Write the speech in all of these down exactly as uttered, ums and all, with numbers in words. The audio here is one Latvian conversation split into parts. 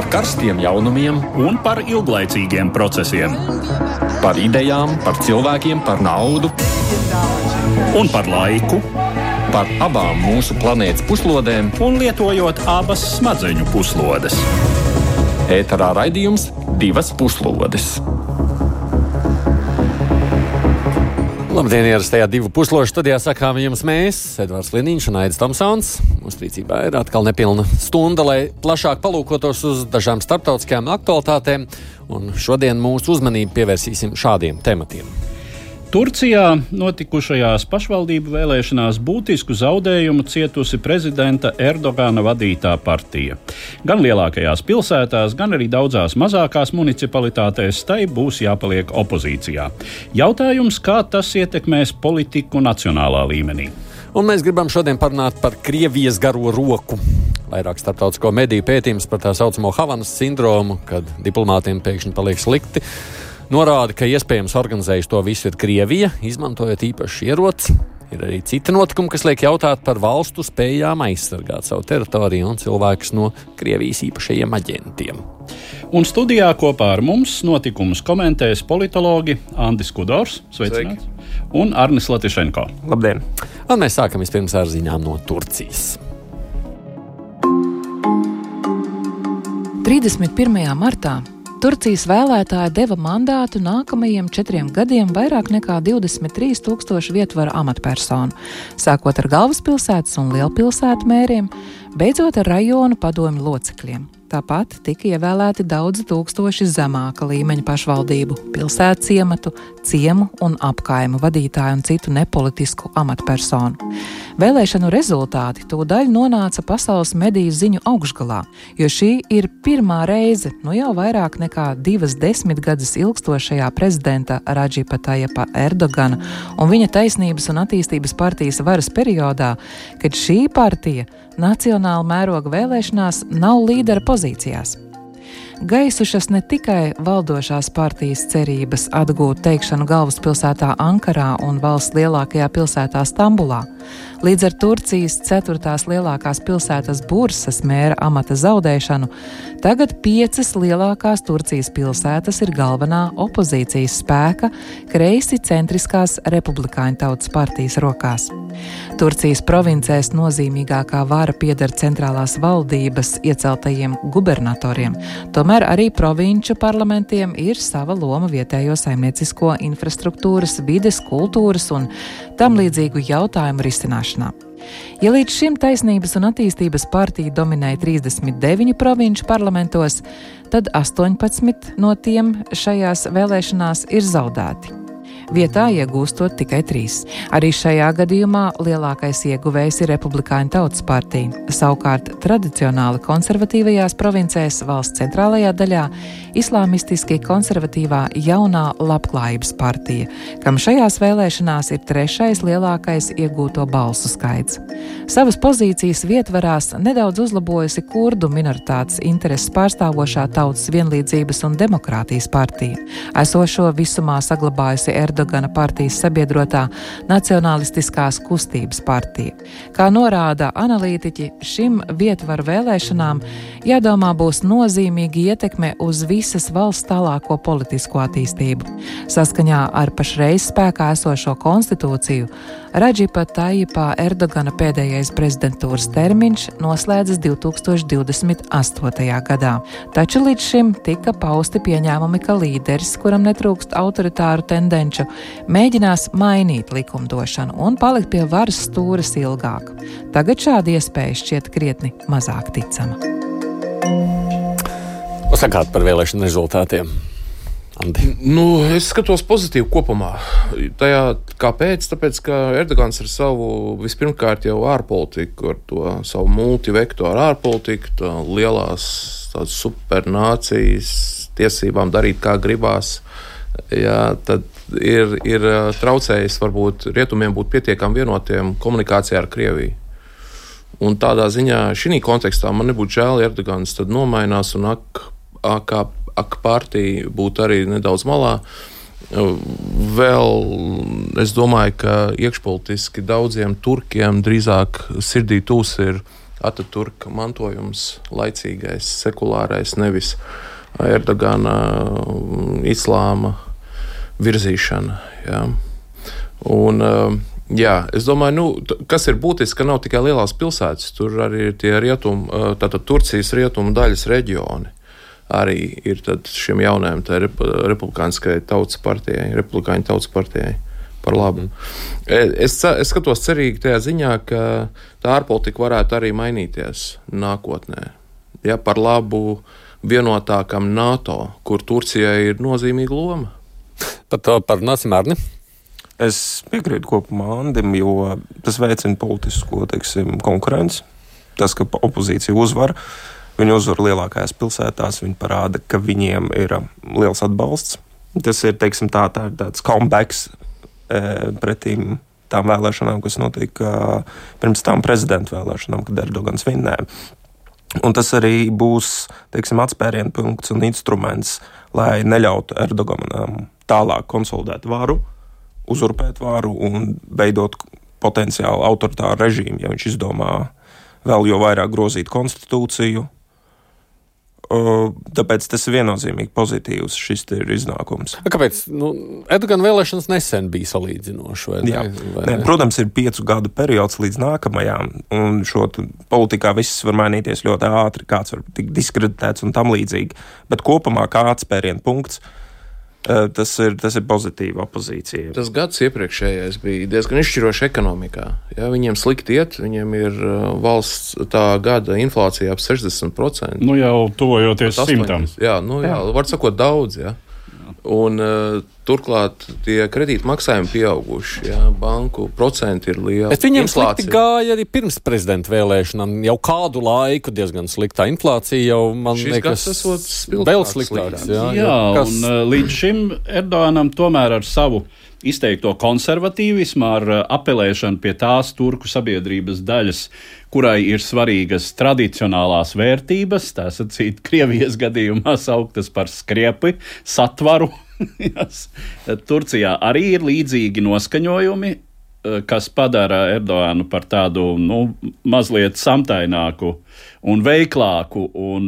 Par karstiem jaunumiem un par ilglaicīgiem procesiem. Par idejām, par cilvēkiem, par naudu un par laiku. Par abām mūsu planētas puslodēm un lietojot abas smadzeņu puslodes. Ēterā raidījums Divas puslodes. Labdien, ierastajā divu pusložu studijā sakām jums mēs, Edvards Liniņš un Aidis Tomsons. Mums rīcībā ir atkal nepilna stunda, lai plašāk palūkotos uz dažām starptautiskajām aktualitātēm, un šodien mūsu uzmanību pievērsīsim šādiem tematiem. Turcijā notikušajās pašvaldību vēlēšanās būtisku zaudējumu cietusi prezidenta Erdogana vadītā partija. Gan lielākajās pilsētās, gan arī daudzās mazākās municipalitātēs tai būs jāpaliek opozīcijā. Jautājums, kā tas ietekmēs politiku nacionālā līmenī. Un mēs gribam šodien parunāt par Krievijas garo roku. Vairāk starptautisko mediju pētījums par tā saucamo Havanas sindromu, kad diplomātiem pēkšņi paliek slikti, norāda, ka iespējams organizējuši to visu ir Krievija, izmantojot īpašs ieroci. Ir arī citi notikumi, kas liek jautāt par valstu spējām aizsargāt savu teritoriju un cilvēkus no Krievijas īpašajiem aģentiem. Un studijā kopā ar mums notikumus komentēs politologi Andis Kudors, sveicināts, un Arnis Latišenko. Labdien! Un mēs sākam vispirms ar ziņām no Turcijas. trīsdesmit pirmajā martā Turcijas vēlētāji deva mandātu nākamajiem četriem gadiem vairāk nekā divdesmit trīs tūkstoši vietvaru amatpersonu, sākot ar galvaspilsētas un lielpilsētu mēriem, beidzot ar rajonu padomju locekļiem. Tāpat tika ievēlēti daudzi tūkstoši zemāka līmeņa pašvaldību, pilsētu ciematu, ciemu un apkaimu vadītāju un citu nepolitisku amatpersonu. Vēlēšanu rezultāti tūdaļ nonāca pasaules mediju ziņu augšgalā, jo šī ir pirmā reize, nu jau vairāk nekā divas desmitgades ilgstošajā prezidenta Radžipa Tajipa Erdogana un viņa taisnības un attīstības partijas varas periodā, kad šī partija nacionāla mēroga vēlēšanās nav līdera pozīcijās. Gaisušas ne tikai valdošās partijas cerības atgūt teikšanu galvaspilsētā Ankarā un valsts lielākajā pilsētā Stambulā. Līdz ar Turcijas ceturtās lielākās pilsētas Bursas mēra amata zaudēšanu, tagad piecas lielākās Turcijas pilsētas ir galvenā opozīcijas spēka kreisi centriskās republikāņu tautas partijas rokās. Turcijas provincēs nozīmīgākā vara pieder centrālās valdības ieceltajiem gubernatoriem, tomēr arī provinču parlamentiem ir sava loma vietējo saimniecisko infrastruktūras, vides, kultūras un tam līdzīgu jautājumu risināšanā. Ja līdz šim taisnības un attīstības partija dominēja trīsdesmit deviņu provinču parlamentos, tad astoņpadsmit no tiem šajās vēlēšanās ir zaudēti. Vietā iegūstot tikai trīs. Arī šajā gadījumā lielākais ieguvējs ir Republikāņu tautas partija. Savukārt tradicionāli konservatīvajās provincēs valsts centrālajā daļā islāmistiski konservatīvā jaunā labklājības partija, kam šajās vēlēšanās ir trešais lielākais iegūto balsu skaits. Savas pozīcijas vietvarās nedaudz uzlabojusi kurdu minoritātes intereses pārstāvošā Tautas vienlīdzības un demokrātijas partija, esošo visumā saglabājusi Erdogana partijas sabiedrotā Nacionalistiskās kustības partija. Kā norāda analītiķi, šim vietvaru vēlēšanām jādomā būs nozīmīga ietekme uz visas valsts tālāko politisko attīstību. Saskaņā ar pašreiz spēkā esošo konstitūciju, Radžipa Tajipa Erdogana pēdējais prezidentūras termiņš noslēdzas divi tūkstoši divdesmit astotajā gadā. Taču līdz šim tika pausti pieņēmumi, ka līderis, kuram netrūkst autoritāru tendenču, mēģinās mainīt likumdošanu un palikt pie varas stūres ilgāk. Tagad šāda iespēja šķiet krietni mazāk ticama. Ko sakāt par vēlēšanu rezultātiem? Andi. Nu, es skatos pozitīvi kopumā. Tajā, kāpēc? Tāpēc, ka Erdogans ar savu vispirmkārt jau ārpolitiku, ar to savu multivektoru ārpolitiku, tā lielās tādas supernācijas tiesībām darīt kā gribās, jā, tad ir, ir traucējis varbūt rietumiem būt pietiekami vienotiem komunikācijā ar Krieviju. Un tādā ziņā šī kontekstā man nebūtu žēl, Erdogans tad nomainās un ak, ak, ak partija būtu arī nedaudz malā. Vēl es domāju, ka iekšpolitiski daudziem turkiem drīzāk sirdī tūs ir Ataturka mantojums, laicīgais, sekulārais, nevis Erdogana islāma virzīšana. Jā. Un, jā, es domāju, nu, kas ir būtiski, ka nav tikai lielās pilsētas, tur arī ir tie rietumu, tātad Turcijas rietumu daļas reģioni. Arī ir tad šiem jaunajiem tā republikāniskai tautas partijai, republikāņu tautas partijai par labu. Es, es skatos cerīgi tajā ziņā, ka tā ārpolitika varētu arī mainīties nākotnē. Ja, par labu vienotākam NATO, kur Turcijai ir nozīmīga loma. Tad par Nācim Arni. Es piekrītu kopumā Andim, jo tas veicina politisko, teiksim, konkurenci. Tas, ka opozīcija uzvar, viņi uzvar lielākajās pilsētās, viņi parāda, ka viņiem ir liels atbalsts. Tas ir, teiksim, tā, tā ir tāds comebacks e, pretīm tām vēlēšanām, kas notika pirms tām prezidenta vēlēšanām, kad Erdogans vinnēja. Un tas arī būs, teiksim, atspērienu punkts un instruments, lai neļautu Erdoganam tālāk konsolidēt varu, uzurpēt varu un veidot potenciāli autoritāru režīmu, ja viņš izdomā vēl jo vairāk grozīt konstitūciju. Tāpēc tas ir viennozīmīgi pozitīvs šis ir iznākums. Kāpēc? Nu, Erdogana vēlēšanas nesen bija salīdzinoši, vai ne? Jā. Vai ne? Ne? Protams, ir piecu gadu periods līdz nākamajām, un šo politikā viss var mainīties ļoti ātri, kāds var tikt diskreditēts un tam līdzīgi. Bet kopumā kā atspērienu punkts, tas ir, tas ir pozitīva opozīcija. Tas gads iepriekšējais bija diezgan izšķiroši ekonomikā. Ja, viņiem slikti iet, viņiem ir valsts tā gada inflācija ap sešdesmit procenti. Nu jau tuvojoties simtam. Jā, nu jā, var sakot daudz, jā. Un uh, turklāt tie kredītu maksājumi pieauguši, jā, banku procenti ir lieli. Bet viņiem slikti gāja arī pirms prezidenta vēlēšanām, jau kādu laiku diezgan sliktā inflācija jau, man Šis liekas, vēl sliktāks. Jā, jā kas... un uh, līdz šim Erdoganam tomēr ar savu izteikto konservatīvismu, ar uh, apelēšanu pie tās turku sabiedrības daļas, kurai ir svarīgas tradicionālās vērtības, tā sacīt, Krievijas gadījumā sauktas par skriepi, satvaru. Turcijā arī ir līdzīgi noskaņojumi, kas padara Erdoganu par tādu, nu, mazliet samtaināku un veiklāku un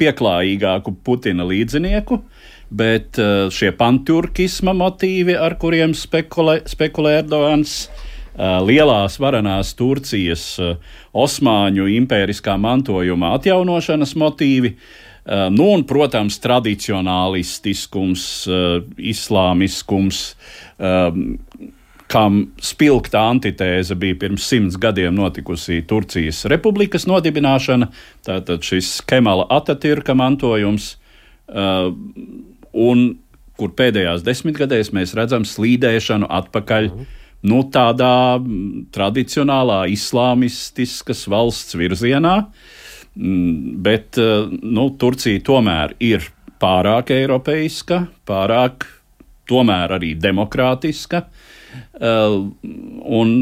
pieklājīgāku Putina līdzinieku, bet šie panturkisma motīvi, ar kuriem spekulē, spekulē Erdogans, lielās varenās Turcijas osmaņu impēriskā mantojuma atjaunošanas motīvi, nu un, protams, tradicionālistiskums, islāmiskums, kam spilgta antitēze bija pirms simts gadiem notikusi Turcijas republikas nodibināšana, tātad šis Kemala Atatürka mantojums, un kur pēdējās desmitgadēs mēs redzam slīdēšanu atpakaļ nu, tādā tradicionālā islāmistiskas valsts virzienā, bet nu, Turcija tomēr ir pārāk eiropeiska, pārāk tomēr arī demokrātiska, un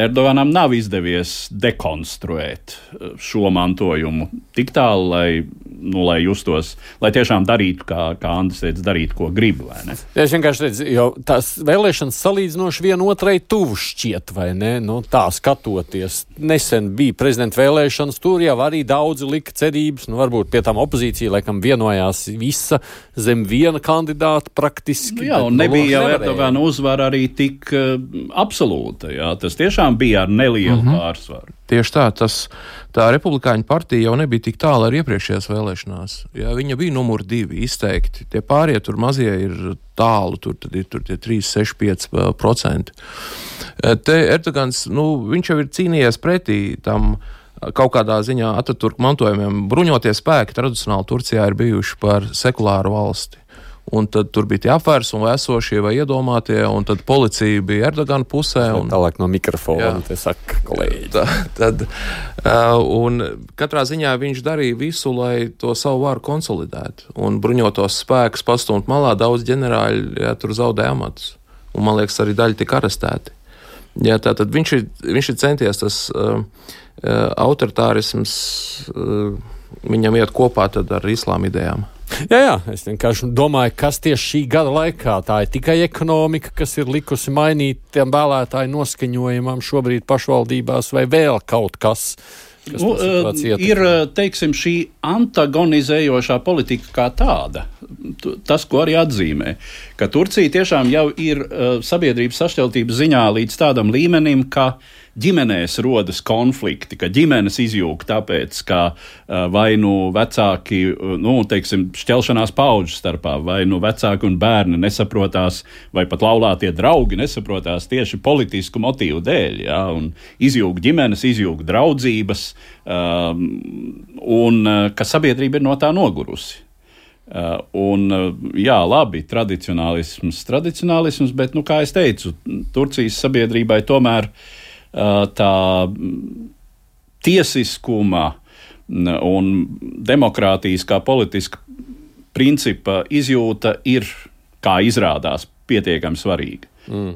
Erdoganam nav izdevies dekonstruēt šo mantojumu tik tālu, lai, nu, lai justos, lai tiešām darītu, kā, kā Andris teica, darītu, ko grib, vai ne? Ja es vienkārši redzu, jo tās vēlēšanas salīdzinoši vienotrai tuvu šķiet, vai ne? Nu, tā skatoties. Nesen bija prezidenta vēlēšanas, tur jau arī daudzi lika cerības, nu, varbūt pie tām opozīcija, laikam, vienojās visa zem viena kandidāta praktiski. Nu, jā, un nebija jau Erdogana uzvara arī tik uh, absolūta, jā, tas tiešām bija ar nelielu uh-huh. pārsvaru. Tieši tā, tas, tā republikāņu partija jau nebija tik tālu ar iepriekšējās vēlēšanās. Jā, viņa bija numur divi izteikti. Tie pārējie tur mazie ir tālu, tur tad ir tur tie trīs, seši, pieci procenti. Te Erdogans, nu, viņš jau ir cīnījies pretī tam kaut kādā ziņā Ataturka mantojumiem. Bruņotie spēki tradicionāli Turcijā ir bijuši par sekulāru valsti. Un tad tur bija tie apvērsumu esošie vai iedomātie, un tad policija bija Erdogana pusē. Un, tālāk no mikrofona, te saka kolēģi. Tā, tad, un katrā ziņā viņš darīja visu, lai to savu varu konsolidētu. Un bruņotos spēkus pastumt malā, daudz ģenerāļi, jā, tur zaudēja amatus. Un, man liekas, arī daļi tika arestēti. Jā, tātad viņš ir, viņš ir centies tas uh, autoritārisms, uh, viņam iet kopā tad ar islāma idejām. Jā, jā, es vienkārši domāju, kas tieši šī gada laikā, tā ir tikai ekonomika, kas ir likusi mainīt tiem vēlētāju noskaņojumam šobrīd pašvaldībās, vai vēl kaut kas, Nu, ir, teiksim, šī antagonizējošā politika kā tāda. Tas, ko arī atzīmē, ka Turcija tiešām jau ir sabiedrības sašķeltības ziņā līdz tādam līmenim, ka ģimenēs rodas konflikti, ka ģimenes izjūg tāpēc, ka vai nu vecāki, nu, teiksim, šķelšanās paudžu starpā, vai nu vecāki un bērni nesaprotās, vai pat laulātie draugi nesaprotās tieši politisku motīvu dēļ, ja, un izjūg ģimenes, izjūg draudzības, um, un ka sabiedrība ir no tā nogurusi. Uh, un, jā, labi, tradicionālisms, tradicionālisms, bet, nu, kā es teicu, Turcijas sabiedrībai tomēr tā tiesiskuma un demokrātijas kā politiska principa izjūta ir, kā izrādās, pietiekami svarīga. Mm.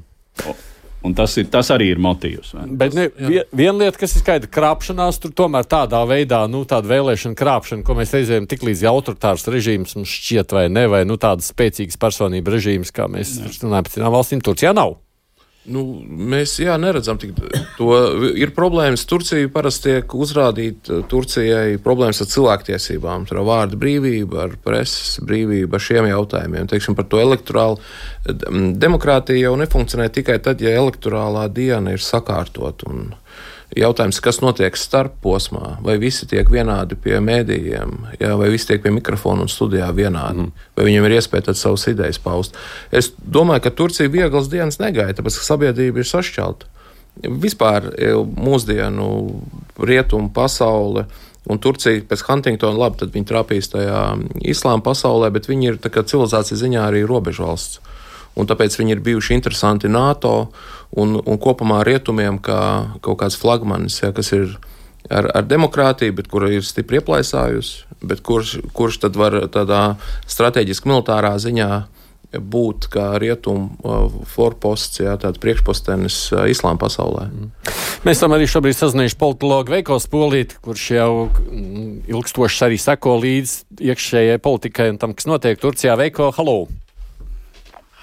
Un tas, ir, tas arī ir motīvs. Bet ne, vien, viena lieta, kas ir skaidra, krāpšanās, tur tomēr tādā veidā, nu, tāda vēlēšana krāpšana, ko mēs reizējam tik līdz autoritārs režīms mums šķiet vai ne, vai, nu, tādas spēcīgas personība režīms, kā mēs runājam par citām valstīm, Turcijā nav. Nu, mēs jā, neredzam tik to. Ir problēmas. Turcija parasti tiek uzrādīta Turcijai problēmas ar cilvēktiesībām, ar vārdu brīvību, ar preses brīvību, ar šiem jautājumiem. Teiksim, par to elektorālu. Demokrātija jau nefunkcionē tikai tad, ja elektorālā diena ir sakārtot. Un jautājums, kas notiek starp posmā, vai visi tiek vienādi pie mēdījiem, jā, vai visi tiek pie mikrofona un studijā vienādi, mm. vai viņiem ir iespēja tad savas idejas paust. Es domāju, ka Turcija vieglas dienas negaida, tāpēc, ka sabiedrība ir sašķelta. Vispār mūsdienu rietumu pasaule un Turcija pēc Huntingtona, labi, tad viņi trāpīs tajā islāma pasaulē, bet viņi ir tā kā civilizācijas ziņā arī robežvalsts. Un tāpēc viņi ir bijuši interesanti NATO un, un kopumā rietumiem kā kaut kāds flagmanis, ja, kas ir ar, ar demokrātiju, bet kura ir stipri ieplaisājusi, bet kurš, kurš tad var tādā strateģiski militārā ziņā būt kā rietumu forposts, ja, tāds priekšpostenis islāma pasaulē. Mm. Mēs tam arī šobrīd sazinājuši politologu Veiko Spolīti, kurš jau ilgstoši arī seko līdz iekšējai politikai un tam, kas notiek Turcijā. Veiko, halo!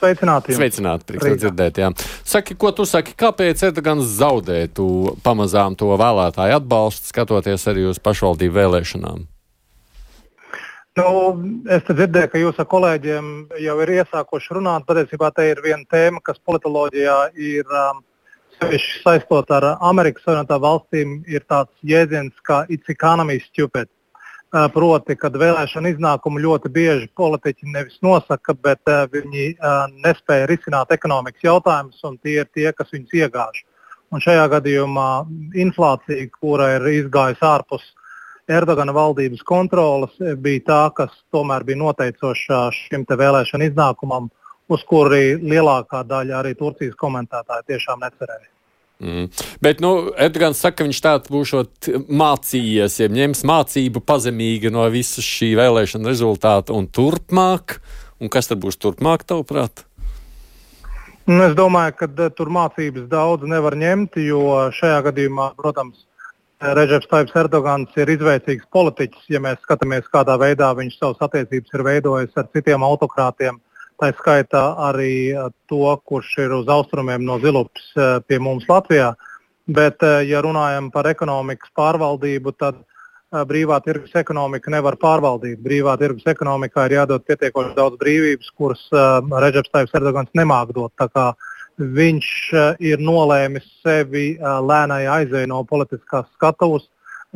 Sveicināti. Sveicināti, prieks to dzirdēt, jā. Saki, ko tu saki, kāpēc Erdogans zaudē tu pamazām to vēlētāju atbalstu, skatoties arī uz pašvaldību vēlēšanām? Nu, es te dzirdēju, ka jūs ar kolēģiem jau ir iesākuši runāt. Patiesībā te ir viena tēma, kas politoloģijā ir um, sevišķi saistot ar Amerikas Savienotām valstīm, ir tāds jēdziens kā it's economy stupid. Proti, kad vēlēšana iznākumu ļoti bieži politiķi nevis nosaka, bet uh, viņi uh, nespēja risināt ekonomikas jautājumus, un tie ir tie, kas viņus iegāž. Un šajā gadījumā inflācija, kura ir izgājusi ārpus Erdogana valdības kontrolas, bija tā, kas tomēr bija noteicoša šim te vēlēšana iznākumam, uz kuri lielākā daļa arī Turcijas komentētāji tiešām necerēja. Mm. Bet, nu, Erdogans saka, ka viņš tāds būšot mācījies, ja ņems mācību pazemīgi no visas šī vēlēšana rezultāta un turpmāk. Un kas tad būs turpmāk, tavuprāt? Nu, es domāju, ka uh, tur mācības daudz nevar ņemt, jo šajā gadījumā, protams, Redžeps Tayyips Erdogans ir izveicīgs politiķis, ja mēs skatāmies, kādā veidā viņš savas attiecības ir veidojis ar citiem autokrātiem. Tā skaitā arī to, kurš ir uz austrumiem no Zilupas pie mums Latvijā. Bet, ja runājam par ekonomikas pārvaldību, tad brīvā tirgus ekonomika nevar pārvaldīt. Brīvā tirgus ekonomikā ir jādod pietiekoši daudz brīvības, kuras Redžeps Tayyips Erdogans nemāk dot. Tā kā viņš ir nolēmis sevi lēnai aizēj no politiskās skatuves.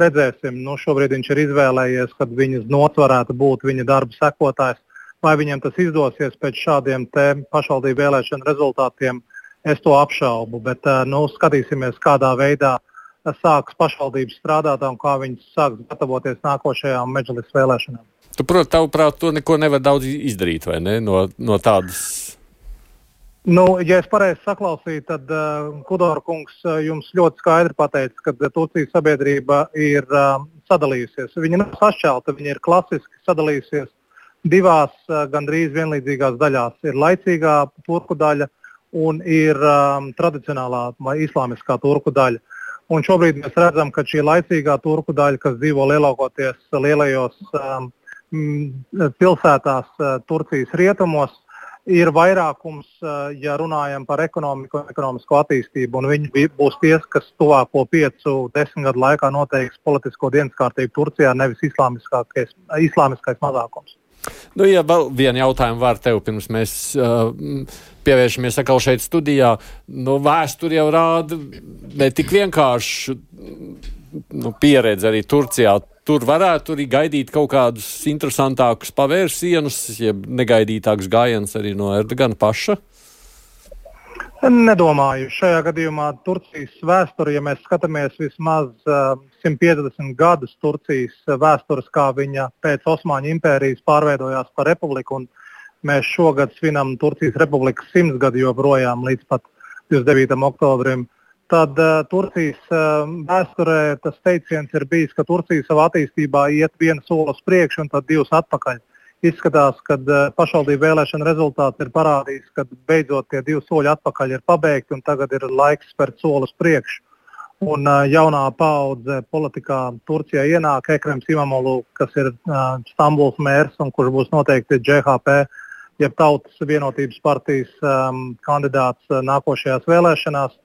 Redzēsim, nu šobrīd viņš ir izvēlējies, kad viņas nots varētu būt viņa darba sekotājs. Vai viņam tas izdosies pēc šādiem te pašvaldību vēlēšanu rezultātiem, es to apšaubu. Bet nu, skatīsimies, kādā veidā sāks pašvaldības strādāt un kā viņas sāks gatavoties nākošajām medžlis vēlēšanām. Tu, protams, tavuprāt, to neko nevar daudz izdarīt, vai ne, no, no tādas? Nu, ja es pareizi saklausīju, tad uh, Kudora kungs uh, jums ļoti skaidri pateica, ka uh, Turcijas sabiedrība ir uh, sadalījusies. Viņa nav sašķelta, viņa ir klasiski sadalījusies divās uh, gandrīz vienlīdzīgās daļās. Ir laicīgā turku daļa un ir um, tradicionālā vai islāmiskā turku daļa. Un šobrīd mēs redzam, ka šī laicīgā turku daļa, kas dzīvo lielākoties lielajos um, pilsētās uh, Turcijas rietumos, ir vairākums, ja runājam par ekonomiku un ekonomisko attīstību, un viņi būs tie, kas tuvāko piecu, desmit gadu laikā noteiks politisko dienas kārtību Turcijā, nevis islāmiskais, islāmiskais mazākums. Nu, ja vēl vienu jautājumu var tev, pirms mēs uh, pievēršamies atkal šeit studijā, nu, vēsture jau rāda ne tik vienkārši nu, pieredze arī Turcijā. Tur varētu arī gaidīt kaut kādus interesantākus pavērsienus, jeb negaidītākus gājienus arī no Erdogana paša? Nedomāju. Šajā gadījumā Turcijas vēsture, ja mēs skatāmies vismaz uh, simt piecdesmit gadus Turcijas vēstures, kā viņa pēc Osmaņu impērijas pārveidojās par republiku, un mēs šogad svinam Turcijas republikas simts gadu joprojām līdz pat divdesmit devītajam oktobrim. Tad uh, Turcijas uh, vēsturē tas teiciens ir bijis, ka Turcija savā attīstībā iet vienu soli uz priekšu un tad divus atpakaļ. Izskatās, ka uh, pašvaldību vēlēšana rezultāts ir parādījis, ka beidzot tie divi soļi atpakaļ ir pabeigti un tagad ir laiks spērt soli uz priekšu. Un uh, jaunā paudze politikā Turcijā ienāk Ekrems Imamoglu, kas ir uh, Stambuls mērs un kurš būs noteikti J H P, jeb Tautas vienotības partijas um, kandidāts uh, nākošajās vēlēšanās.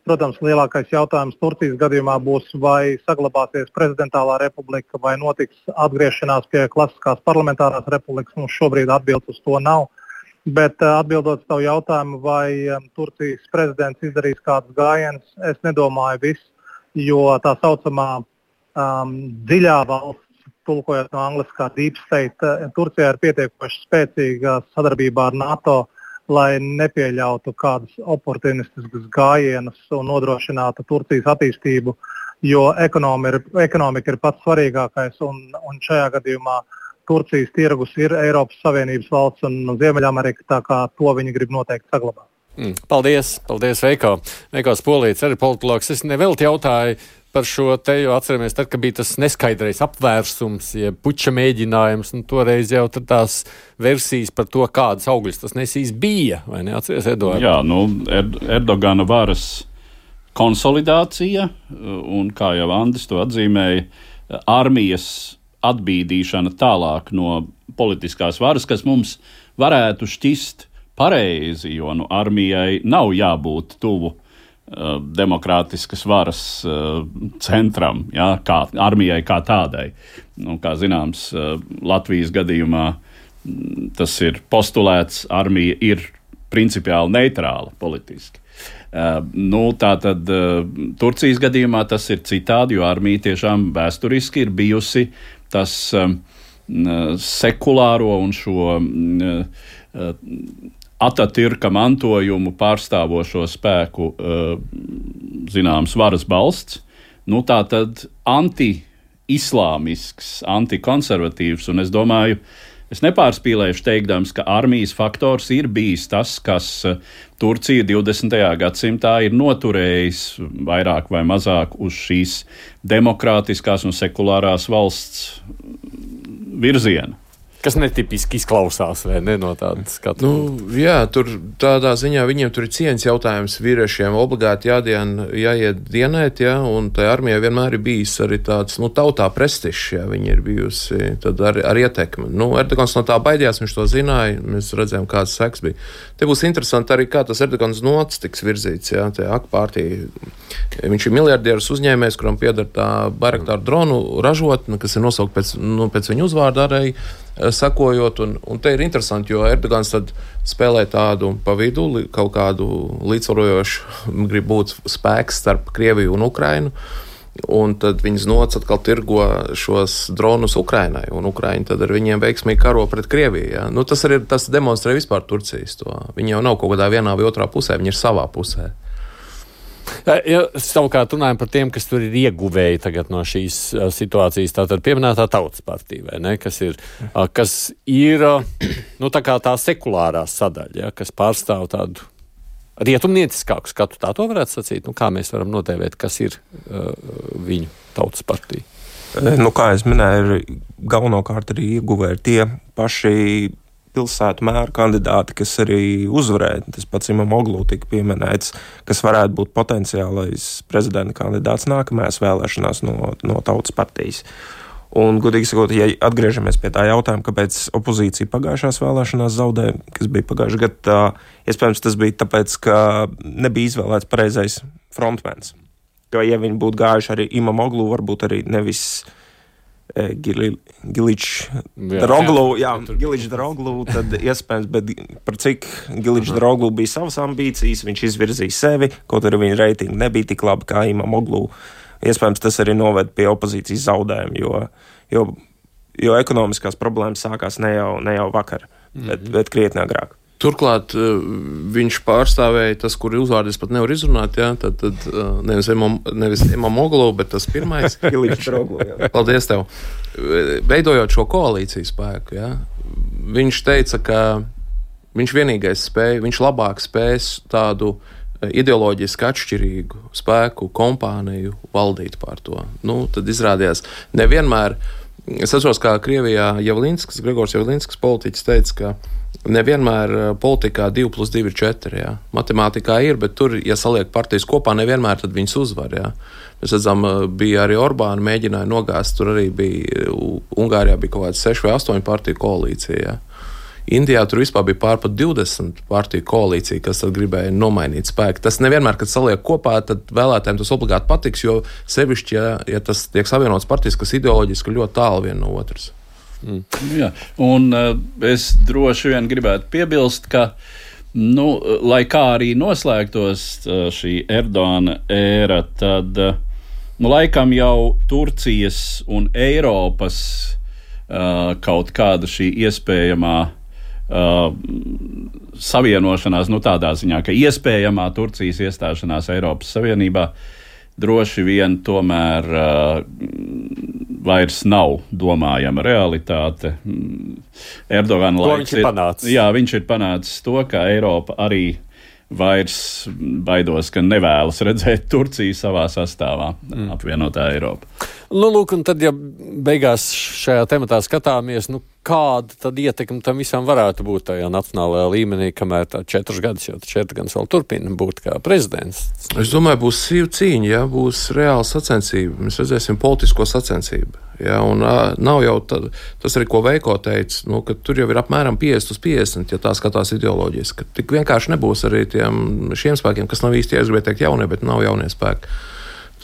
Protams, lielākais jautājums Turcijas gadījumā būs, vai saglabāsies prezidentālā republika, vai notiks atgriešanās pie klasiskās parlamentārās republikas. Mums šobrīd atbildes uz to nav. Bet atbildot uz tavu jautājumu, vai Turcijas prezidents izdarīs kādus gājienus, es nedomāju viss, jo tā saucamā um, dziļā valsts, tulkojot no angliskā deep state, Turcijā ir pietiekoši spēcīga sadarbībā ar NATO, lai nepieļautu kādus oportunistiskus gājienus un nodrošinātu Turcijas attīstību, jo ekonomika ir, ekonomika ir pats svarīgākais, un, un šajā gadījumā Turcijas tirgus ir Eiropas Savienības valsts un Ziemeļamerika, tā kā to viņi grib noteikti saglabāt. Mm, paldies, paldies Veiko. Veiko Spolīts, arī politologs. Es nevelti jautāju par šo te, jo atceramies, tad, kad bija tas neskaidrais apvērsums, ja puča mēģinājums, un toreiz jau tās versijas par to, kādas augļas tas nesīs bija, vai ne? Atceries, Eduard? Jā, nu, Erd- Erdogana varas konsolidācija, un kā jau Andis to atzīmēja, armijas atbīdīšana tālāk no politiskās varas, kas mums varētu šķist pareizi, jo nu, armijai nav jābūt tuvu uh, demokrātiskas varas uh, centram, ja, kā, armijai kā tādai. Nu, kā zināms, uh, Latvijas gadījumā m, tas ir postulēts, armija ir principiāli neitrāla politiski. Uh, nu, tātad uh, Turcijas gadījumā tas ir citādi, jo armija tiešām vēsturiski ir bijusi tas um, sekulāro un šo um, uh, Atatürka mantojumu pārstāvošo spēku uh, zināms varas balsts. Nu, tā tad anti-islāmisks, antikonservatīvs, un es domāju, es nepārspīlēšu teikdams, ka armijas faktors ir bijis tas, kas uh, Turcija divdesmitajā gadsimtā ir noturējis vairāk vai mazāk uz šīs demokrātiskās un sekulārās valsts virziena. Kas netipiski izklausās, vai ne, no tādas skatu? Nu, jā, tur tādā ziņā viņiem tur ir cieņas jautājums vīriešiem obligāti jādien, jāiet dienēt, jā, un tai armijai vienmēr ir bijis arī tāds, nu, tautā prestižs, jā, viņi ir bijusi tad ar, ar ietekmi. Nu, Erdogans no tā baidījās, viņš to zināja, mēs redzējām, kāds seks bija. Te būs interesanti arī, kā tas Erdogans nots tiks virzīts, jā, tie A K partija. Viņš ir miljardieris uzņēmējs, kuram pieder tā Bayraktar dronu ražotne, kas ir nosaukt pēc, nu, pēc viņa uzvārda arī, sakojot, un, un te ir interesanti, jo Erdogans tad spēlē tādu pa vidu, kaut kādu līdzsvarojošu, grib būt spēks starp Krieviju un Ukrainu, un tad viņas nots atkal tirgo šos dronus Ukrainai, un Ukraina tad ar viņiem veiksmīgi karo pret Krieviju. Ja? Nu, tas arī tas demonstrē vispār Turcijas to. Viņi jau nav kaut kādā vienā vai otrā pusē, viņi ir savā pusē. Ja savukārt runājam par tiem, kas tur ir ieguvēji tagad no šīs uh, situācijas, tātad pieminētā Tautas partija, vai ne, kas ir, uh, kas ir uh, nu, tā kā tā sekulārā sadaļa, ja, kas pārstāv tādu rietumnieciskāku skatu, tā to varētu sacīt, nu, kā mēs varam notēvēt, kas ir uh, viņu Tautas partija. Nu, kā es minēju, galvenokārt arī ieguvēji tie paši pilsētu mēru kandidāti, kas arī uzvarēja. Tas pats Imamoglu tika pieminēts, kas varētu būt potenciālais prezidenta kandidāts nākamajās vēlēšanās no, no Tautas partijas. Un, godīgi sakot, ja atgriežamies pie tā jautājuma, kāpēc opozīcija pagājušās vēlēšanās zaudēja, kas bija pagājušajā gadā, iespējams, tas bija tāpēc, ka nebija izvēlēts pareizais frontmens. Jo, ja viņi būtu gājuši arī Imamoglu, varbūt arī nevis e, Giličs Daroglu, jā, Giličs Daroglu, tad iespējams, bet par cik Giličs Daroglu bija savas ambīcijas, viņš izvirzīja sevi, kaut arī viņa reitingi nebija tik labi kā Imamoglu. Iespējams, tas arī noved pie opozīcijas zaudējuma, jo, jo, jo ekonomiskās problēmas sākās ne jau, ne jau vakar, mm-hmm. bet, bet krietni agrāk. Turklāt viņš pārstāvēja tas, kur uzvārdi es pat nevaru izrunāt, jā, tad, tad nevis Imam, nevis Imamoglu, bet tas pirmais. Paldies tev. Veidojot šo koalīciju spēku, jā, viņš teica, ka viņš vienīgais spēja, viņš labāk spēs tādu ideoloģiski atšķirīgu spēku kompāniju valdīt pār to. Nu, tad izrādījās nevienmēr, es atceros, kā Krievijā Javlinskas, Gregors Javlinskas politiķis teica, ka nevienmēr politikā divi plus divi ir četri, jā. Matemātikā ir, bet tur, ja saliek partijas kopā, nevienmēr tad viņas uzvar, jā. Mēs redzam, bija arī Orbāna mēģināja nogāzt, tur arī bija, Ungārijā bija kaut kāds sešu vai astoņu partiju koalīcija, jā. Indijā tur vispār bija pār pat divdesmit partiju koalīcija, kas tad gribēja nomainīt spēku. Tas nevienmēr, kad saliek kopā, tad vēlētājiem tas obligāti patiks, jo sevišķi, ja, ja tas tiek savienots partijas, kas ideoloģiski ļoti tālu viena no otras. Mm. Jā, un uh, es droši vien gribētu piebilst, ka, nu, lai kā arī noslēgtos uh, šī Erdogana ēra, tad, uh, nu, laikam jau Turcijas un Eiropas uh, kaut kāda šī iespējamā Uh, savienošanās, nu tādā ziņā, ka iespējamā Turcijas iestāšanās Eiropas Savienībā droši vien tomēr uh, vairs nav domājama realitāte. Erdogana laiks ir, ir panācis. Jā, viņš ir panācis to, ka Eiropa arī vairs baidos, ka nevēlas redzēt Turciju savā sastāvā, mm. apvienotā Eiropa. Nu, lūk, un tad, ja beigās šajā tematā skatāmies, nu, kāda tad ietekme tam visam varētu būt tajā nacionālajā līmenī, kamēr tā četrus gadus, jo četri gadus vēl turpina būt kā prezidents? Es domāju, būs sīva cīņa, ja, būs reāla sacensība. Mēs redzēsim politisko sacensību. Ja, un uh, nav jau tā, tas arī, ko Veiko teica, nu, ka tur jau ir apmēram piecdesmit uz piecdesmit, ja tā skatās ideoloģijas, ka tik vienkārši nebūs arī tiem šiem spēkiem, kas nav īsti, ja es gribēju teikt jaunie, bet nav jaunie spēki.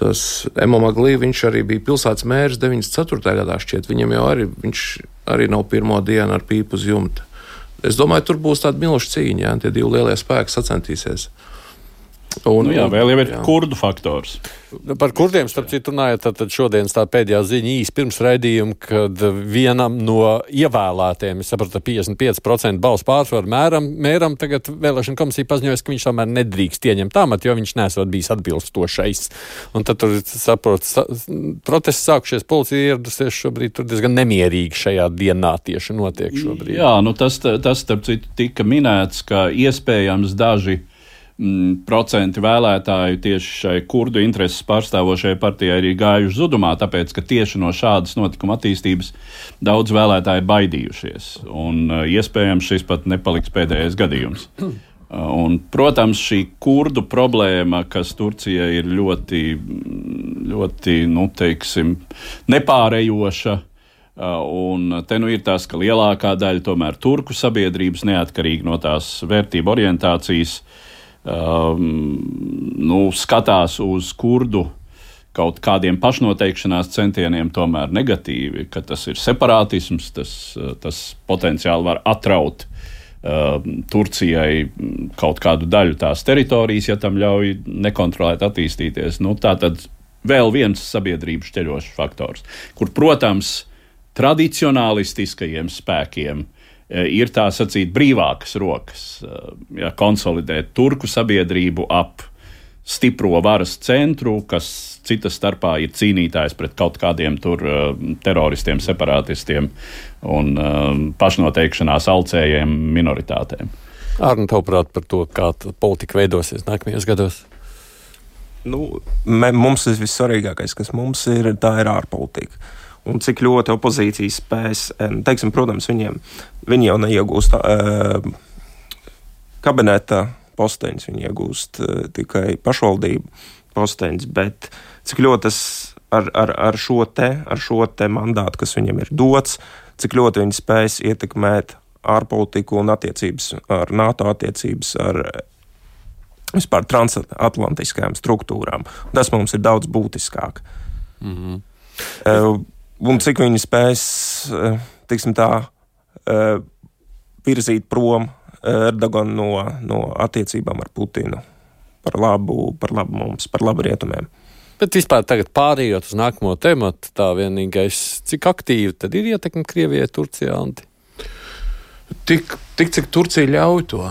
Tas Emomagli, viņš arī bija pilsētas mērs deviņdesmit ceturtajā gadā šķiet, viņam jau arī, viņš arī nav pirmo dienu ar pīpu uz jumta. Es domāju, tur būs tāda milša cīņa, ja, tie divi lielie spēki sacentīsies. Un, nu jā, vēl jau ir jā. kurdu faktors. Par kurdiem, starp citu, runājot, tad šodienas tā pēdējā ziņa īsi pirms raidījuma, kad vienam no ievēlētiem, es sapratu, piecdesmit pieci procenti balsu pārsvaru mēram, mēram tagad vēlēšana komisija paziņojas, ka viņš tomēr nedrīkst ieņemt amatu, jo viņš nesot bijis atbilstošais. Un tad tur, saprot, sa, protests sākušies, policija ieradusies šobrīd, tur diezgan nemierīgi šajā dienā tieši notiek šobrīd. Jā, nu tas, tas starp citu, tika minēts, ka iespējams daži procenti vēlētāju tieši šai kurdu intereses pārstāvošajai partijai ir gājuši zudumā, tāpēc, ka tieši no šādas notikuma attīstības daudz vēlētāji baidījušies. Un iespējams šis pat nepaliks pēdējais gadījums. Un, protams, šī kurdu problēma, kas Turcijai ir ļoti, ļoti, nu, teiksim, nepārējoša, un te nu ir tas, ka lielākā daļa tomēr turku sabiedrības neatkarīgi no tās vērtību orientācijas Um, nu, skatās uz kurdu kaut kādiem pašnoteikšanās centieniem tomēr negatīvi, ka tas ir separātisms, tas, tas potenciāli var atraut uh, Turcijai kaut kādu daļu tās teritorijas, ja tam ļauj nekontrolēt attīstīties. Nu, tā tad vēl viens sabiedrības šķeļošs faktors, kur, protams, tradicionālistiskajiem spēkiem ir tā sacīt brīvākas rokas, ja konsolidēt turku sabiedrību ap stipro varas centru, kas cita starpā ir cīnītājs pret kaut kādiem tur teroristiem, separātistiem un pašnoteikšanās alcējiem minoritātēm. Arni, tavuprāt par to, kā politika veidosies nākamajos gados? Nu, mums ir vissvarīgākais, kas mums ir, tā ir ārpolitika. Un cik ļoti opozīcija spēs, teiksim, protams, viņiem, viņi jau neiegūst uh, kabineta posteņus, viņi iegūst uh, tikai pašvaldību posteņus, bet cik ļoti tas ar, ar, ar, šo te, ar šo te mandātu, kas viņam ir dots, cik ļoti viņi spēs ietekmēt ārpolitiku un attiecības ar NATO, attiecības ar vispār transatlantiskajām struktūrām. Tas mums ir daudz būtiskāk. Mm-hmm. Uh, un cik viņi spēs, uh, tiksim tā, uh, virzīt prom Erdoganu no, no attiecībām ar Putinu par labu, par labu mums, par labu rietumiem. Bet vispār tagad pārējot uz nākamo tematu, tā vienīgais, cik aktīvi tad ir ietekme Krievijai, Turcijā, Anti? Tik, tik, cik Turcija ļauj to.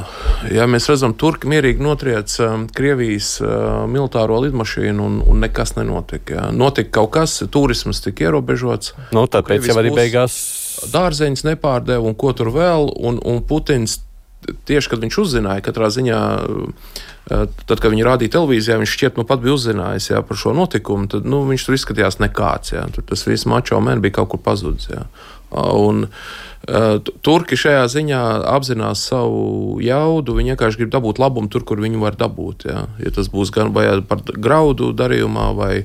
Ja mēs redzam, Turki mierīgi notriec um, Krievijas uh, militāro lidmašīnu un, un nekas nenotika. Ja. Notika kaut kas, turismas tika ierobežots. Nu, tāpēc jau arī beigās dārzeņus nepārdeva un ko tur vēl, un, un Putins tieši, kad viņš uzzināja, katrā ziņā, tad, kad viņi rādīja televīzijā, viņš šķiet, nu pat bija uzzinājis jā, par šo notikumu, tad, nu, viņš tur izskatījās nekāds, jā, tur tas viss mačo men bija kaut kur pazudis, jā. Un uh, Turki šajā ziņā apzinās savu jaudu, viņi vienkārši grib dabūt labumu tur, kur viņi var dabūt, jā. Ja tas būs gan vai par graudu darījumā, vai